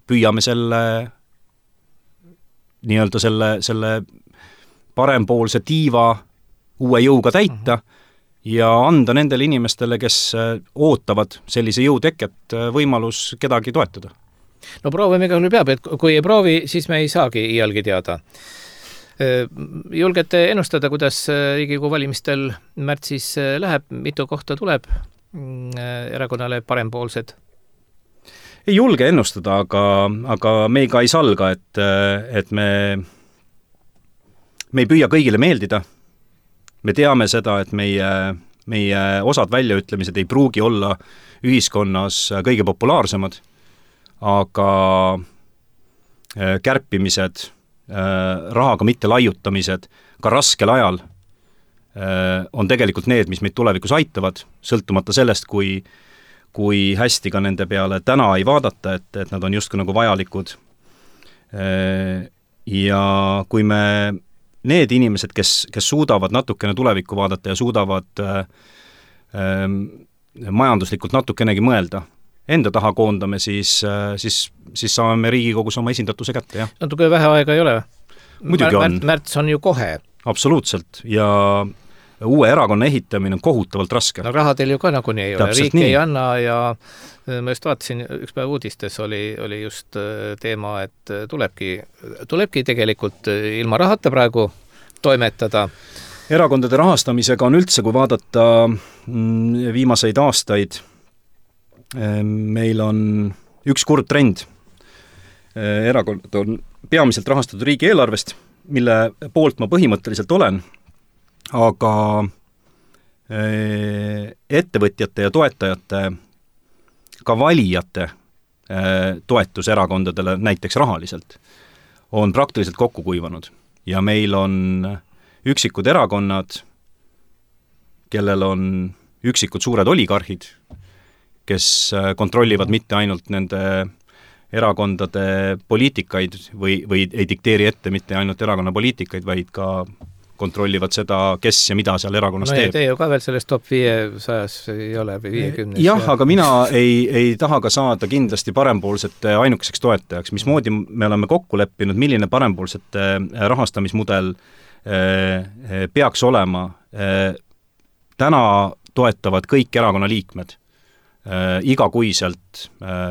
püüame selle nii-öelda selle, selle parempoolse tiiva uue jõuga täita, ja anda nendele inimestele, kes ootavad sellise jõu teket, võimalus kedagi toetada. No proovime igal juhul peab, et kui ei proovi, siis me ei saagi iialgi teada. Julgete ennustada, kuidas Riigikogu valimistel märtsis läheb, mitu kohta tuleb erakonnale parempoolsed? Ei julge ennustada, aga, aga me ka ei salga, et, et me, me ei püüa kõigile meeldida. Me teame seda, et meie, meie osad väljaütlemised ei pruugi olla ühiskonnas kõige populaarsemad, aga kärpimised, rahaga mitte laiutamised, ka raskel ajal on tegelikult need, mis meid tulevikus aitavad, sõltumata sellest, kui, kui hästi ka nende peale täna ei vaadata, et, et nad on justkui nagu vajalikud. Ja kui me need inimesed, kes, kes suudavad natukene tulevikku vaadata ja suudavad äh, äh, majanduslikult natukenegi mõelda, enda taha koondame, siis, äh, siis, siis saame me Riigikogus oma esindatuse kätte, jah. Natuke vähe aega ei ole. Muidugi on. Märts on ju kohe. Absoluutselt, ja uue erakonna ehitamine on kohutavalt raske. No raha teil ju ka nagu nii ei ole, riik nii. Ei anna ja ma just vaatasin, üks päev uudistes oli, oli just teema, et tulebki, tulebki tegelikult ilma rahata praegu toimetada. Erakondade rahastamisega on üldse, kui vaadata viimaseid aastaid, meil on üks kurb trend. erakond on peamiselt rahastatud riigieelarvest, mille poolt ma põhimõtteliselt olen, aga ettevõtjate ja toetajate, ka valijate toetus erakondadele näiteks rahaliselt on praktiliselt kokku kuivanud ja meil on üksikud erakonnad, kellel on üksikud suured oligarhid, kes kontrollivad mitte ainult nende erakondade poliitikaid või, või ei dikteeri ette mitte ainult erakonna poliitikaid, vaid ka kontrollivad seda, kes ja mida seal erakonnas no teeb. No te ju ka veel selles top viiesajas ei ole või viiekümnes. Jah, ja... aga mina ei, ei taha ka saada kindlasti parempoolsete ainukeseks toetajaks. Mismoodi me oleme kokku leppinud, milline parempoolsete rahastamismudel peaks olema. Täna toetavad kõik erakonna liikmed igakuiselt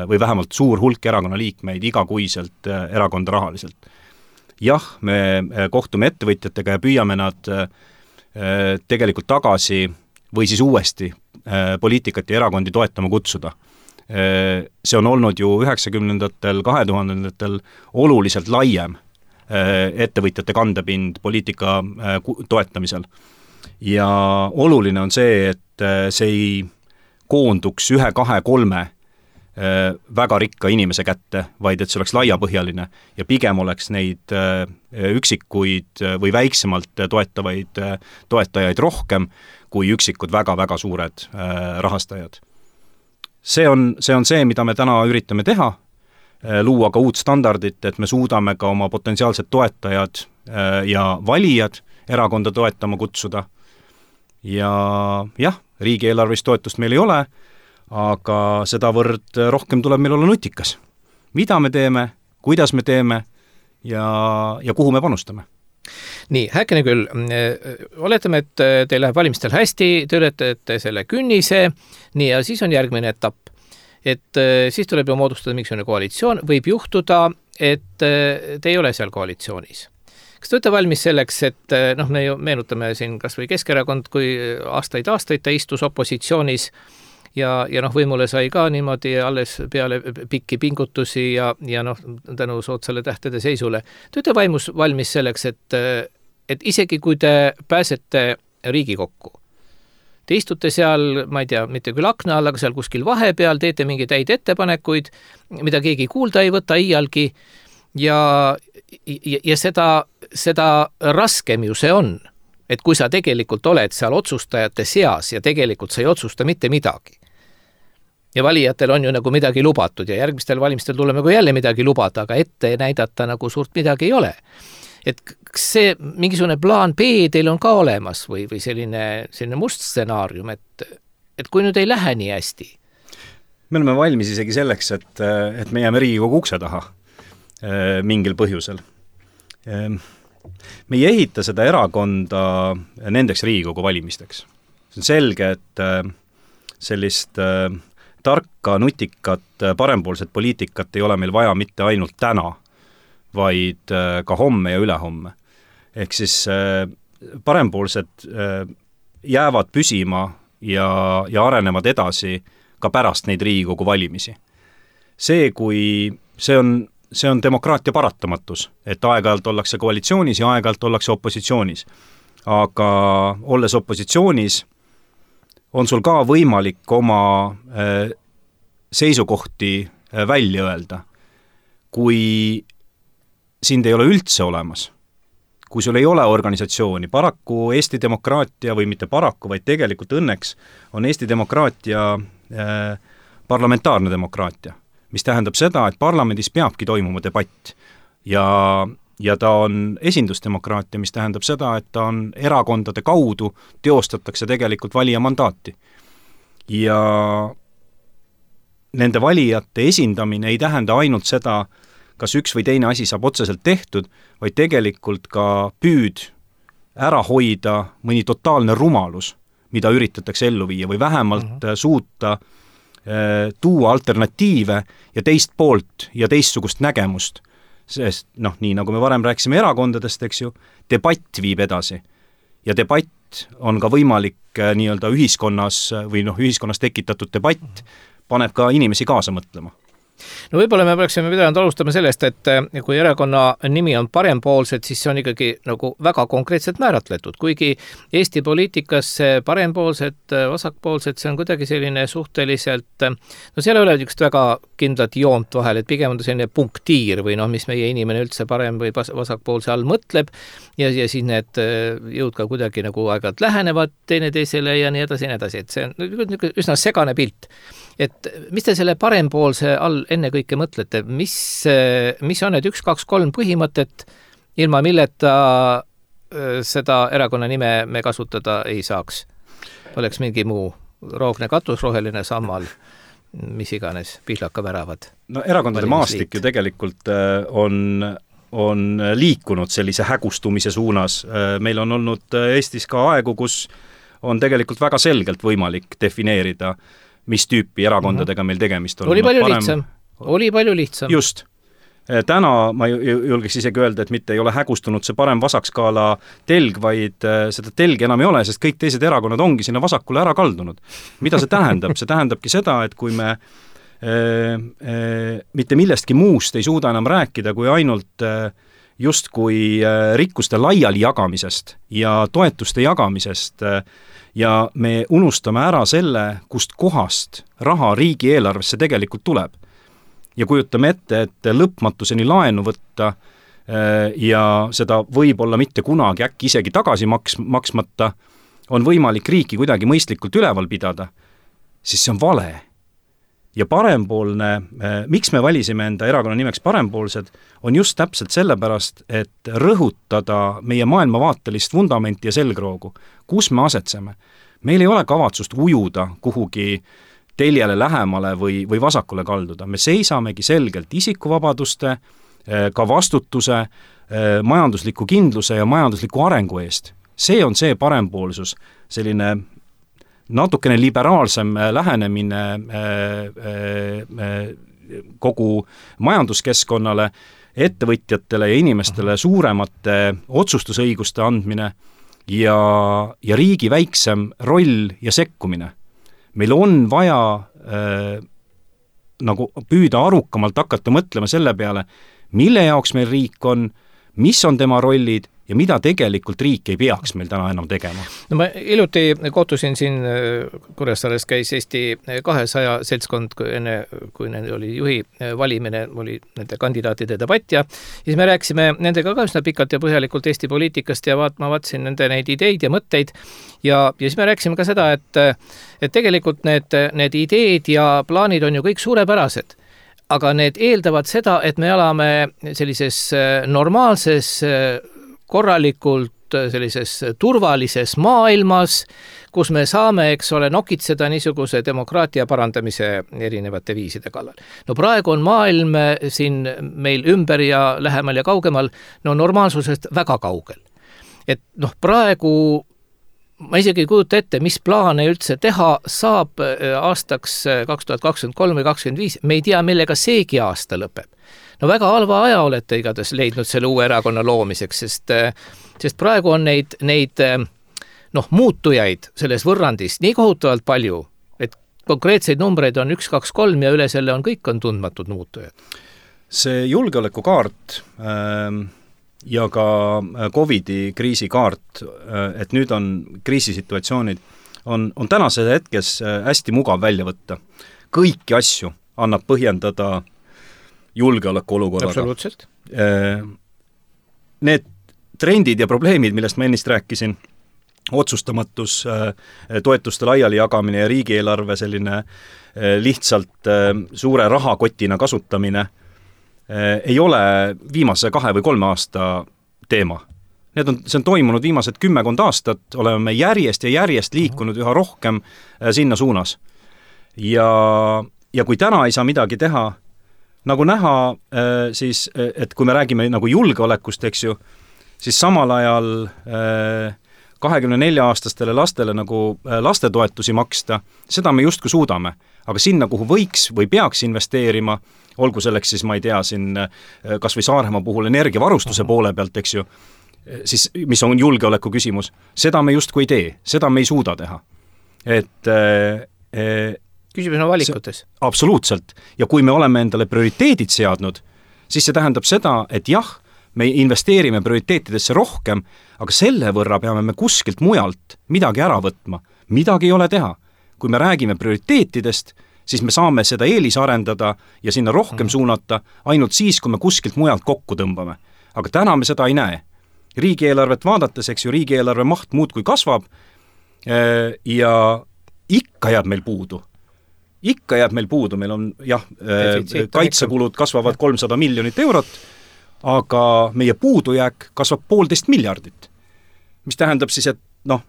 või vähemalt suur hulk erakonna liikmeid igakuiselt erakonda rahaliselt. Jah, me kohtume ettevõtjatega ja püüame nad tegelikult tagasi või siis uuesti poliitikat ja erakondi toetama kutsuda. See on olnud ju üheksakümnendatel, kahe tuhandendatel oluliselt laiem ettevõtjate kandepind poliitika toetamisel. Ja oluline on see, et see ei koonduks ühe, kahe, kolme väga rikka inimese kätte, vaid et see oleks laiapõhjaline ja pigem oleks neid üksikuid või väiksemalt toetavaid toetajaid rohkem kui üksikud väga-väga suured rahastajad. See on, see on see, mida me täna üritame teha, luua ka uut standardit, et me suudame ka oma potentsiaalsed toetajad ja valijad erakonda toetama kutsuda. Ja jah, riigieelarvist toetust meil ei ole, aga sedavõrd rohkem tuleb meil olla nutikas. Mida me teeme, kuidas me teeme ja, ja kuhu me panustame? Nii, häkene küll. Oletame, et teil läheb valimistel hästi, te ületate selle künnise, nii ja siis on järgmine etapp. Et siis tuleb ju moodustada mingisugune koalitsioon, võib juhtuda, et te ei ole seal koalitsioonis. Kas te olete valmis selleks, et noh, me ju meenutame siin kas või Keskerakond, kui aastaid-aastaid ta istus opositsioonis ja, ja noh, võimule sai ka niimoodi alles peale pikki pingutusi ja, ja noh, tänu soodsale tähtede seisule. Te olete vaimus valmis selleks, et, et isegi kui te pääsete Riigikokku, te istute seal, ma ei tea, mitte küll akna all, aga seal kuskil vahepeal, teete mingi täid ettepanekuid, mida keegi kuulda ei võta iialgi ja, ja, ja seda, seda raskem ju see on, et kui sa tegelikult oled seal otsustajate seas ja tegelikult sa ei otsusta mitte midagi. Ja valijatel on ju nagu midagi lubatud ja järgmistel valimistel tuleme kui jälle midagi lubada, aga ette näidata nagu suurt midagi ei ole. Et see mingisugune plaan B teil on ka olemas või, või selline, selline must stsenaarium, et, et kui nüüd ei lähe nii hästi? Me oleme valmis isegi selleks, et, et me jääme Riigikogu ukse taha mingil põhjusel. Me ei ehita seda erakonda nendeks Riigikogu valimisteks. See on selge, et sellist tarka, nutikat, parempoolset poliitikat ei ole meil vaja mitte ainult täna, vaid ka homme ja ülehomme. Ehk siis parempoolsed jäävad püsima ja, ja arenevad edasi ka pärast neid Riigikogu valimisi. See, kui see on see on demokraatia paratamatus, et aeg-ajalt ollakse koalitsioonis ja aeg-ajalt ollakse opositsioonis. Aga olles opositsioonis, on sul ka võimalik oma seisukohti välja öelda. Kui sind ei ole üldse olemas, kui sul ei ole organisatsiooni, paraku Eesti demokraatia või mitte paraku, vaid tegelikult õnneks on Eesti demokraatia parlamentaarne demokraatia, mis tähendab seda, et parlamendis peabki toimuma debatt ja, ja ta on esindusdemokraatia, mis tähendab seda, et ta on erakondade kaudu teostatakse tegelikult valija mandaati. Ja nende valijate esindamine ei tähenda ainult seda, kas üks või teine asi saab otseselt tehtud, vaid tegelikult ka püüd ära hoida mõni totaalne rumalus, mida üritatakse ellu viia või vähemalt uh-huh. suuta tuua alternatiive ja teist poolt ja teistsugust nägemust. Sest noh, nii nagu me varem rääkisime erakondadest, eks ju, debatt viib edasi. Ja debatt on ka võimalik nii-öelda ühiskonnas või noh, ühiskonnas tekitatud debatt paneb ka inimesi kaasa mõtlema. No võib-olla me peaksime pidanud alustama sellest, et kui erakonna nimi on Parempoolsed, siis see on ikkagi nagu väga konkreetselt määratletud, kuigi Eesti poliitikas parempoolsed, vasakpoolsed, see on kuidagi selline suhteliselt, no seal ei ole niisugust väga kindlat joont vahel, et pigem on selline punktiir või noh, mis meie inimene üldse parem või vasakpoolse all mõtleb ja, ja siis need jõud ka kuidagi nagu aeg-ajalt lähenevad teineteisele ja nii edasi ja nii edasi, et see on üsna segane pilt. Et mis te selle parempoolse all enne kõike mõtlete, mis, mis on need üks, kaks, kolm põhimõtet, ilma milleta seda erakonna nime me kasutada ei saaks? Oleks mingi muu roogne katus, roheline sammal, mis iganes, pihlaka väravad. No erakondade maastik ju tegelikult on, on liikunud sellise hägustumise suunas. Meil on olnud Eestis ka aegu, kus on tegelikult väga selgelt võimalik defineerida, mis tüüpi erakondadega meil tegemist on. Oli palju parem... lihtsam. Oli palju lihtsam. Just. Täna ma julgeks isegi öelda, et mitte ei ole hägustunud see parem vasakskaala telg, vaid seda telgi enam ei ole, sest kõik teised erakonnad ongi sinna vasakule ära kaldunud. Mida see tähendab? See tähendabki seda, et kui me e, e, mitte millestki muust ei suuda enam rääkida, kui ainult just kui rikkuste laiali jagamisest ja toetuste jagamisest ja me unustame ära selle, kust kohast raha riigieelarvesse tegelikult tuleb. Ja kujutame ette, et lõpmatuseni laenu võtta ja seda võib-olla mitte kunagi äkki isegi tagasi maks, maksmata on võimalik riiki kuidagi mõistlikult üleval pidada, siis see on vale. Ja parempoolne, miks me valisime enda erakonna nimeks Parempoolsed, on just täpselt sellepärast, et rõhutada meie maailmavaatelist vundamenti ja selgroogu. Kus me asetseme? Meil ei ole kavatsust ujuda kuhugi teljele lähemale või, või vasakule kalduda. Me seisamegi selgelt isikuvabaduste, ka vastutuse, majandusliku kindluse ja majandusliku arengu eest. See on see parempoolsus, selline natukene liberaalsem lähenemine kogu majanduskeskkonnale, ettevõtjatele ja inimestele suuremate otsustusõiguste andmine ja, ja riigi väiksem roll ja sekkumine. Meil on vaja äh, nagu püüda arukamalt hakata mõtlema selle peale, mille jaoks meil riik on, mis on tema rollid ja mida tegelikult riik ei peaks meil täna enam tegema. No ma iluti kohtusin siin, Kuressaares käis Eesti kahesaja seltskond, enne kui nende oli juhi valimine, oli nende kandidaatide debatt ja siis me rääkisime nendega ka üsna pikalt ja põhjalikult Eesti poliitikast ja vaat, ma vaatasin nende neid ideid ja mõtteid ja, ja siis me rääkisime ka seda, et, et tegelikult need, need ideed ja plaanid on ju kõik suurepärased. Aga need eeldavad seda, et me elame sellises normaalses, korralikult sellises turvalises maailmas, kus me saame, eks ole, nokitseda niisuguse demokraatia parandamise erinevate viiside kallal. No praegu on maailm siin meil ümber ja lähemal ja kaugemal, no normaalsusest väga kaugel. Et noh, praegu ma isegi ei kujuta ette, mis plaane üldse teha saab aastaks kaks tuhat kakskümmend kolm või kakskümmend viis, me ei tea, millega seegi aasta lõpeb. No väga halva aja olete igatahes leidnud selle uue erakonna loomiseks, sest, sest praegu on neid, neid noh, muutujaid selles võrrandis nii kohutavalt palju, et konkreetseid numbreid on üks, kaks, kolm ja üle selle on kõik on tundmatud muutujad. See julgeolekukaart ähm... ja ka Covidi kriisikaart, et nüüd on kriisisituatsioonid, on, on tänase hetkes hästi mugav välja võtta. Kõiki asju annab põhjendada julgeoleku olukorraga. Absoluutselt. Need trendid ja probleemid, millest ma ennist rääkisin, otsustamatus, toetuste laiali jagamine ja riigieelarve selline lihtsalt suure rahakotina kasutamine, ei ole viimase kahe või kolme aasta teema. Need on, see on toimunud viimased kümmekond aastat, oleme järjest ja järjest liikunud üha rohkem sinna suunas. Ja, ja kui täna ei saa midagi teha, nagu näha, siis, et kui me räägime nagu julgeolekust, eks ju, siis samal ajal kahekümne nelja aastastele lastele nagu lastetoetusi maksta, seda me justkui suudame. Aga sinna, kuhu võiks või peaks investeerima, olgu selleks siis, ma ei tea, siin kas või Saaremaa puhul energiavarustuse poole pealt, eks ju, siis mis on julgeoleku küsimus, seda me justkui ei tee, seda me ei suuda teha. Et küsimus on valikutes. Absoluutselt. Ja kui me oleme endale prioriteedid seadnud, siis see tähendab seda, et jah, me investeerime prioriteetidesse rohkem, aga selle võrra peame me kuskilt mujalt midagi ära võtma. Midagi ei ole teha. Kui me räägime prioriteetidest, siis me saame seda eelis arendada ja sinna rohkem suunata ainult siis, kui me kuskilt mujalt kokku tõmbame. Aga täna me seda ei näe. Riigieelarvet vaadates, eks ju, riigieelarve maht muudkui kasvab ja ikka jääb meil puudu. Ikka jääb meil puudu. Meil on, jah, kaitsekulud kasvavad kolmsada miljonit eurot, aga meie puudujääk kasvab poolteist miljardit. Mis tähendab siis, et noh,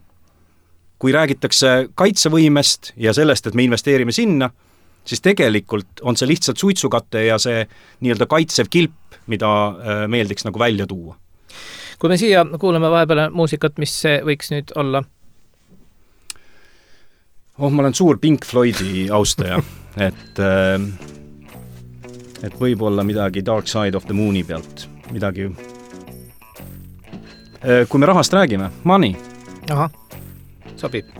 kui räägitakse kaitsevõimest ja sellest, et me investeerime sinna, siis tegelikult on see lihtsalt suitsukate ja see nii-öelda kaitsev kilp, mida meeldiks nagu välja tuua. Kui me siia kuuleme vahepeale muusikat, mis see võiks nüüd olla? Oh, ma olen suur Pink Floydi austaja, et, et võib-olla midagi Dark Side of the Mooni pealt, midagi. Kui me rahast räägime, Money. Aha, sobib.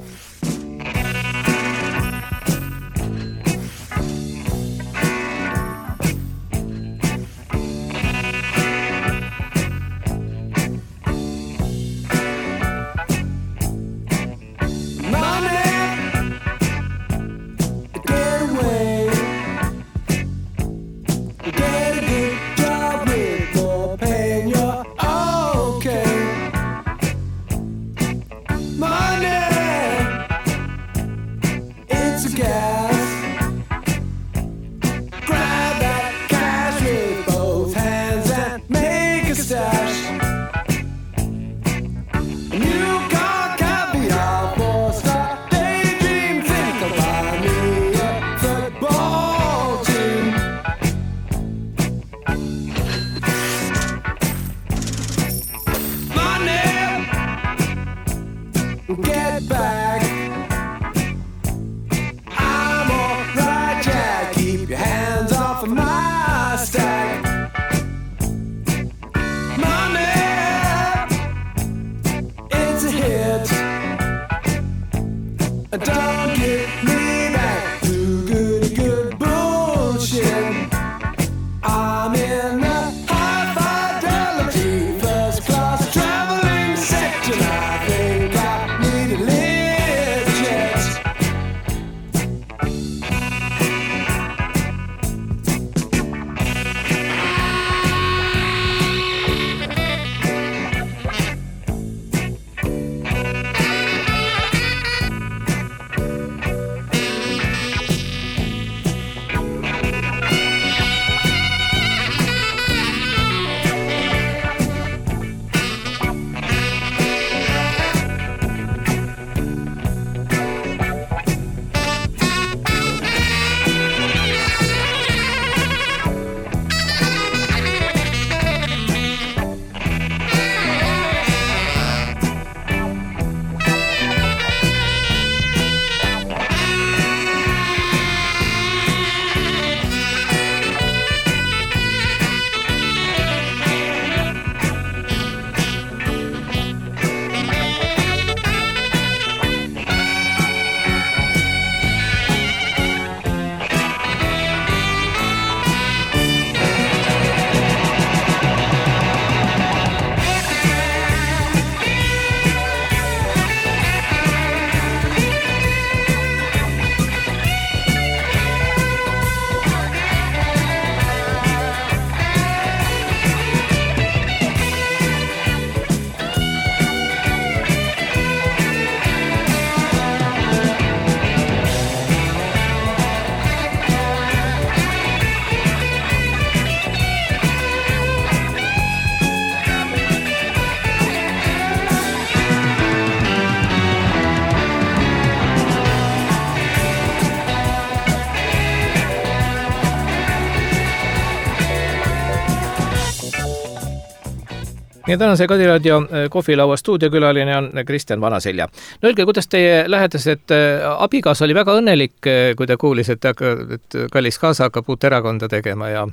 Ja tänase Kadiraadio kohvilaua stuudiokülaline on Kristjan Vanaselja. No öelge, kuidas teie lähedased abigaas oli väga õnnelik, kui ta kuulis, et, et kallis kaasa hakkab uut erakonda tegema ja,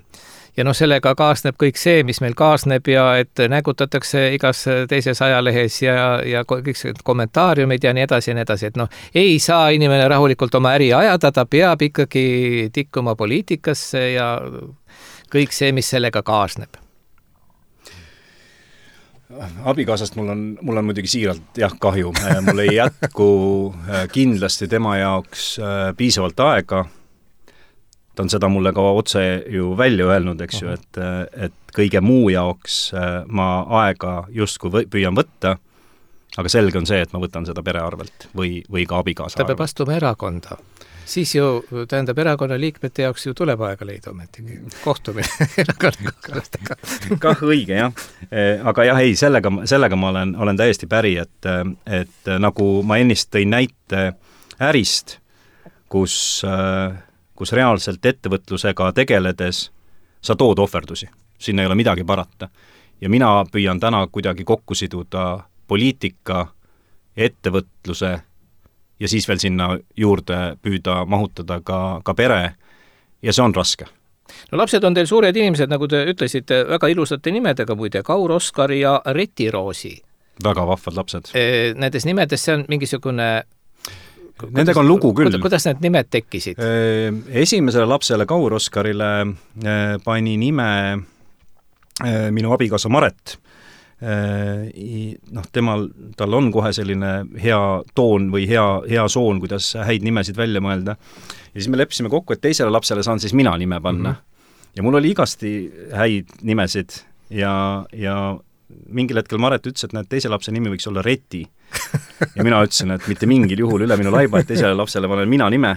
ja noh, sellega kaasneb kõik see, mis meil kaasneb ja et nägutatakse igas teises ajalehes ja, ja kõik kommentaariumid ja nii edasi ja nii edasi, et noh, ei saa inimene rahulikult oma äri ajada, ta peab ikkagi tikkuma poliitikasse ja kõik see, mis sellega kaasneb. Abikaasast mul on, mul on muidugi siiralt jah kahju, mul ei jätku kindlasti tema jaoks piisavalt aega. Ta on seda mulle ka otse ju välja öelnud, eks ju, et, et kõige muu jaoks ma aega justkui või, püüan võtta, aga selge on see, et ma võtan seda pere arvelt või, või ka abikaasa ta peab arvelt. astuma erakonda. Siis ju, tähendab, erakonna liikmete jaoks ju tuleb aega leida ometigi. Kohtumine erakonnakaaslastega. Kah õige, jah. Aga jah, ei, sellega, sellega ma olen, olen täiesti päri, et, et nagu ma ennist tõin näite ärist, kus kus reaalselt ettevõtlusega tegeledes sa tood ohverdusi. Sinna ei ole midagi parata. Ja mina püüan täna kuidagi kokku siduda poliitika, ettevõtluse ja siis veel sinna juurde püüda mahutada ka, ka pere ja see on raske. No lapsed on teil suured inimesed, nagu te ütlesite, väga ilusate nimedega muide, Kaur Oskar ja Reti Roosi. Väga vahvad lapsed. Nendes nimedes see on mingisugune Nendega on lugu küll. Kuidas need nimed tekkisid? Esimesele lapsele Kaur Oskarile pani nime minu abikaasa Maret. Noh, temal, tal on kohe selline hea toon või hea, hea soon, kuidas häid nimesid välja mõelda. Ja siis me leppisime kokku, et teisele lapsele saan siis mina nime panna. Mm-hmm. Ja mul oli igasti häid nimesid ja, ja mingil hetkel Maret ütles, et näed, teise lapse nimi võiks olla Reti. Ja mina ütlesin, et mitte mingil juhul üle minu laiba, et teisele lapsele panen mina nime.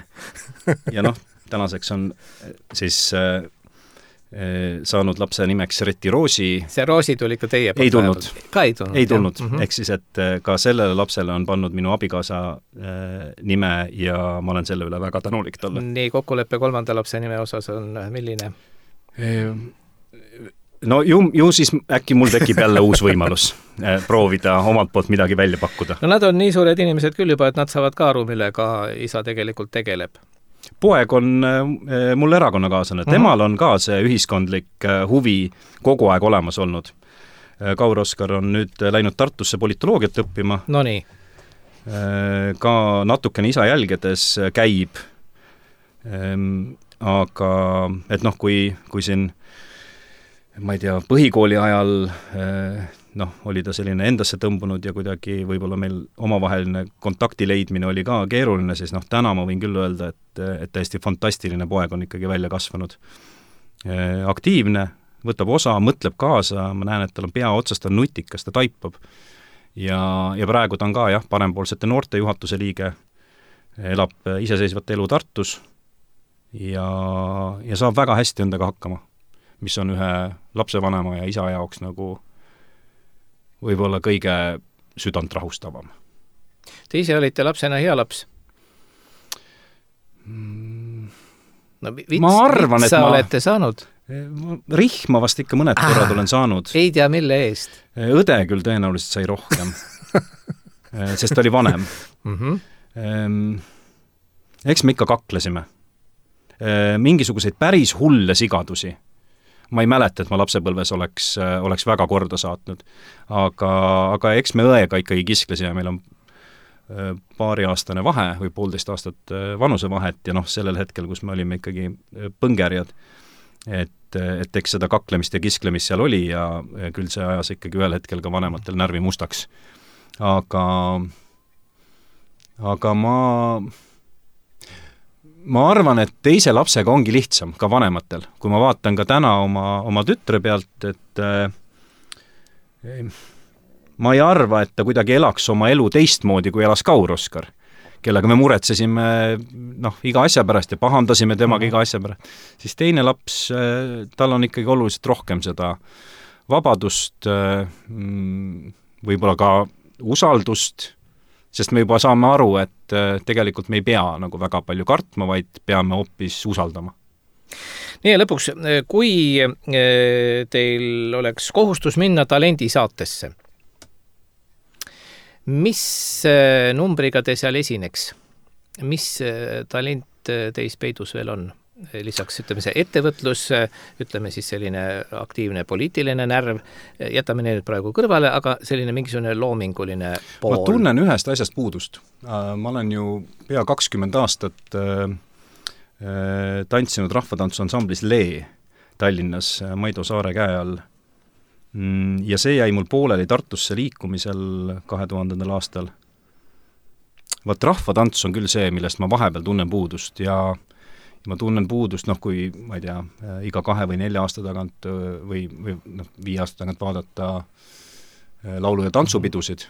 Ja noh, tänaseks on siis äh, saanud lapse nimeks Reti Roosi. See Roosi tuli ka teie ei tulnud. Ka ei tulnud. Ei tulnud. Mm-hmm. Ehk siis, et ka sellele lapsele on pannud minu abikaasa äh, nime ja ma olen selle üle väga tänulik talle. Nii, kokkuleppe kolmanda lapse nime osas on milline? E No ju, ju siis äkki mul tekib jälle uus võimalus proovida omalt poolt midagi välja pakkuda. No nad on nii suured inimesed küll juba, et nad saavad ka aru, millega isa tegelikult tegeleb. Poeg on mul erakonnakaaslane. Mm-hmm. Temal on ka see ühiskondlik huvi kogu aeg olemas olnud. Kaur Oskar on nüüd läinud Tartusse politoloogiat õppima. No nii. Ka natukene isa jälgedes käib. Aga et noh, kui, kui siin ma ei tea, põhikooli ajal noh, oli ta selline endasse tõmbunud ja kuidagi võib-olla meil omavaheline kontakti leidmine oli ka keeruline, siis noh, täna ma võin küll öelda, et, et täiesti fantastiline poeg on ikkagi välja kasvanud. Aktiivne, võtab osa, mõtleb kaasa, ma näen, et tal on pea otsast, ta on nutikas, ta taipab. Ja, ja praegu ta on ka jah, parempoolsete noorte juhatuse liige, elab iseseisvat elu Tartus ja, ja saab väga hästi endaga hakkama, mis on ühe lapsevanema ja isa jaoks nagu võib-olla kõige südant rahustavam. Te ise olite lapsena hea laps? No, vits, ma arvan, vitsa et ma olete saanud? Rihma vast ikka mõned korrad ah, olen saanud. Ei tea, mille eest? Õde küll tõenäoliselt sai rohkem, sest ta oli vanem. Mm-hmm. Eks me ikka kaklesime. Mingisuguseid päris hulle sigadusi. Ma ei mäleta, et ma lapsepõlves oleks, oleks väga korda saatnud. Aga, aga eks me õega ikkagi kisklesime, meil on paariaastane vahe või poolteist aastat vanuse vahet ja noh, sellel hetkel, kus me olime ikkagi põngerjad, et, et eks seda kaklemist ja kisklemist seal oli ja küll see ajas ikkagi ühel hetkel ka vanematel närvi mustaks. Aga, aga ma... Ma arvan, et teise lapsega ongi lihtsam, ka vanematel. Kui ma vaatan ka täna oma, oma tütre pealt, et äh, ma ei arva, et ta kuidagi elaks oma elu teistmoodi, kui elas Kaur Oskar, kellega me muretsesime noh, iga asja pärast ja pahandasime temaga mm-hmm. iga asja pärast. Siis teine laps, äh, tal on ikkagi oluliselt rohkem seda vabadust, äh, võib-olla ka usaldust, sest me juba saame aru, et tegelikult me ei pea nagu väga palju kartma, vaid peame hoopis usaldama. Nii ja lõpuks, kui teil oleks kohustus minna talendisaatesse, mis numbriga te seal esineks? Mis talent teis peidus veel on? lisaks ütleme see ettevõtlus, ütleme siis selline aktiivne poliitiline närv, jätame need praegu kõrvale, aga selline mingisugune loominguline pool. Ma tunnen ühest asjast puudust. Ma olen ju pea kakskümmend aastat tantsinud rahvatantsuansamblis Lee Tallinnas Maido Saare käe all. Ja see jäi mul pooleli Tartusse liikumisel kahe tuhandendal aastal. Vaat rahvatants on küll see, millest ma vahepeal tunnen puudust ja ma tunnen puudust, noh, kui, ma ei tea, iga kahe või nelja aasta tagant või, või noh, viie aasta tagant vaadata laulu- ja tantsupidusid,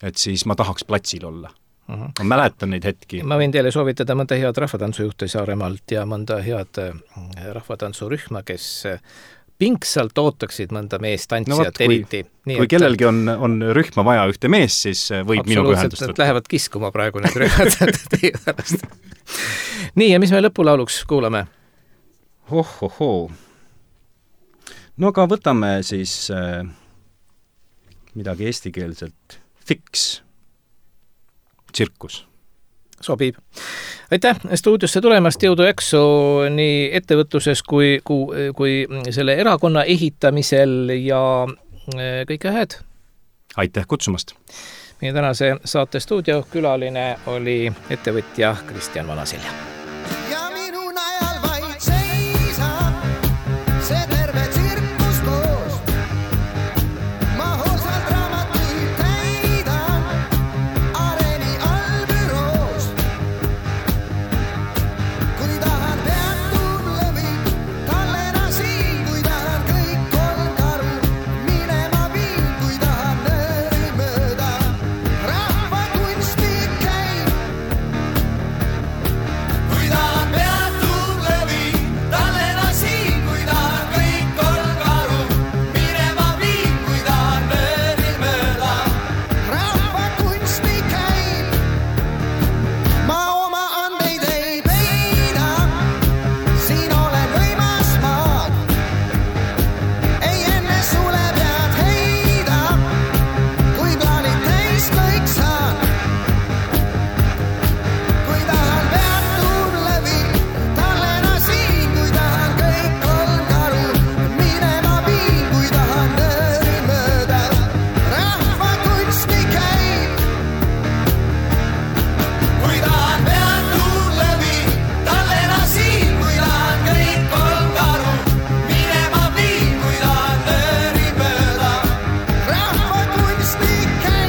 et siis ma tahaks platsil olla. Uh-huh. Ma mäletan neid hetki. Ma võin teile soovitada mõnda head rahvatantsujuhte Saaremaalt ja mõnda head rahvatantsurühma, kes pingsalt ootaksid mõnda meest tantsijat no, eriti. Nii, kui et, kellelgi on, on rühma vaja ühte mees, siis võib minuga ühendust võtta. Lähevad kiskuma praegu need rühmad teie pärast. Nii, ja mis me lõpulauluks kuulame? Hohohoo. No aga võtame siis äh, midagi eestikeelselt. Fix. Tsirkus. Sobib. Aitäh stuudiosse tulemast, jõudu jaksu nii ettevõtluses kui, kui, kui selle erakonna ehitamisel ja kõike head. Aitäh kutsumast. Meie tänase saate stuudio külaline oli ettevõtja Kristjan Vanasilja. Ja minu najal vaid seisab see terve tsirkus koos. Ma hoolsalt raamatuid täidan areeni allbüroos. Kui tahan peatun lõvin, tallena siin, kui tahan kõik kolm karu minema viin, kui tahan nööri mööda rahva kunstik käin. Kui tahan peatun lõvin, tallena siin, kui tahan kõik kolm karu minema viin, kui tahan nööri mööda rahva kunstik käin. Ma oma andeid ei peida, siin olen võimas maad. Ei enne sule pead heida, kui plaanid täis kõik saan. Kui tahan peatun lõvin, tallena siin, kui tahan kõik kolm karu minema viin, kui tahan nööri mööda rahva kunstik käin. Kui tahan peatun lõvin, tallena siin, kui tahan kõik kolm karu minema viin, kui tahan nööri mööda rahva kunstik käin.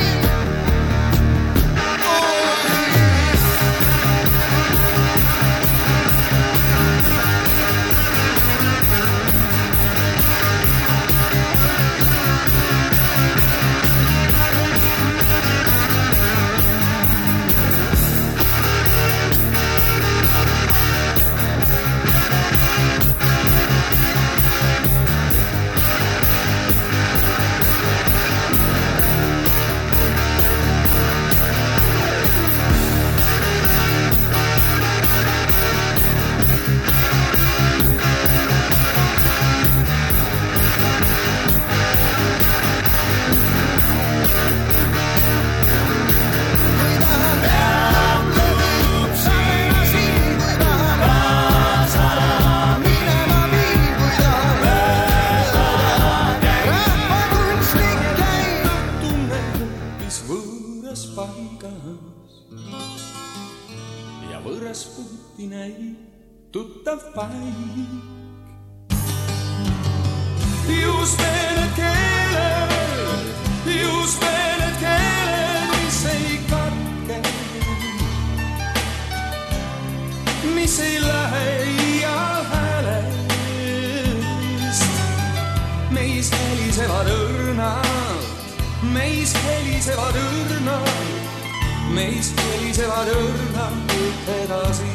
Ja võõras puhti näib tuttav paik. Just need keeled, just need keeled, mis ei katke, mis ei lähe ial häälest. Meis helisevad õrnad, meis helisevad õrnad, meis helisevad õrnad edasi.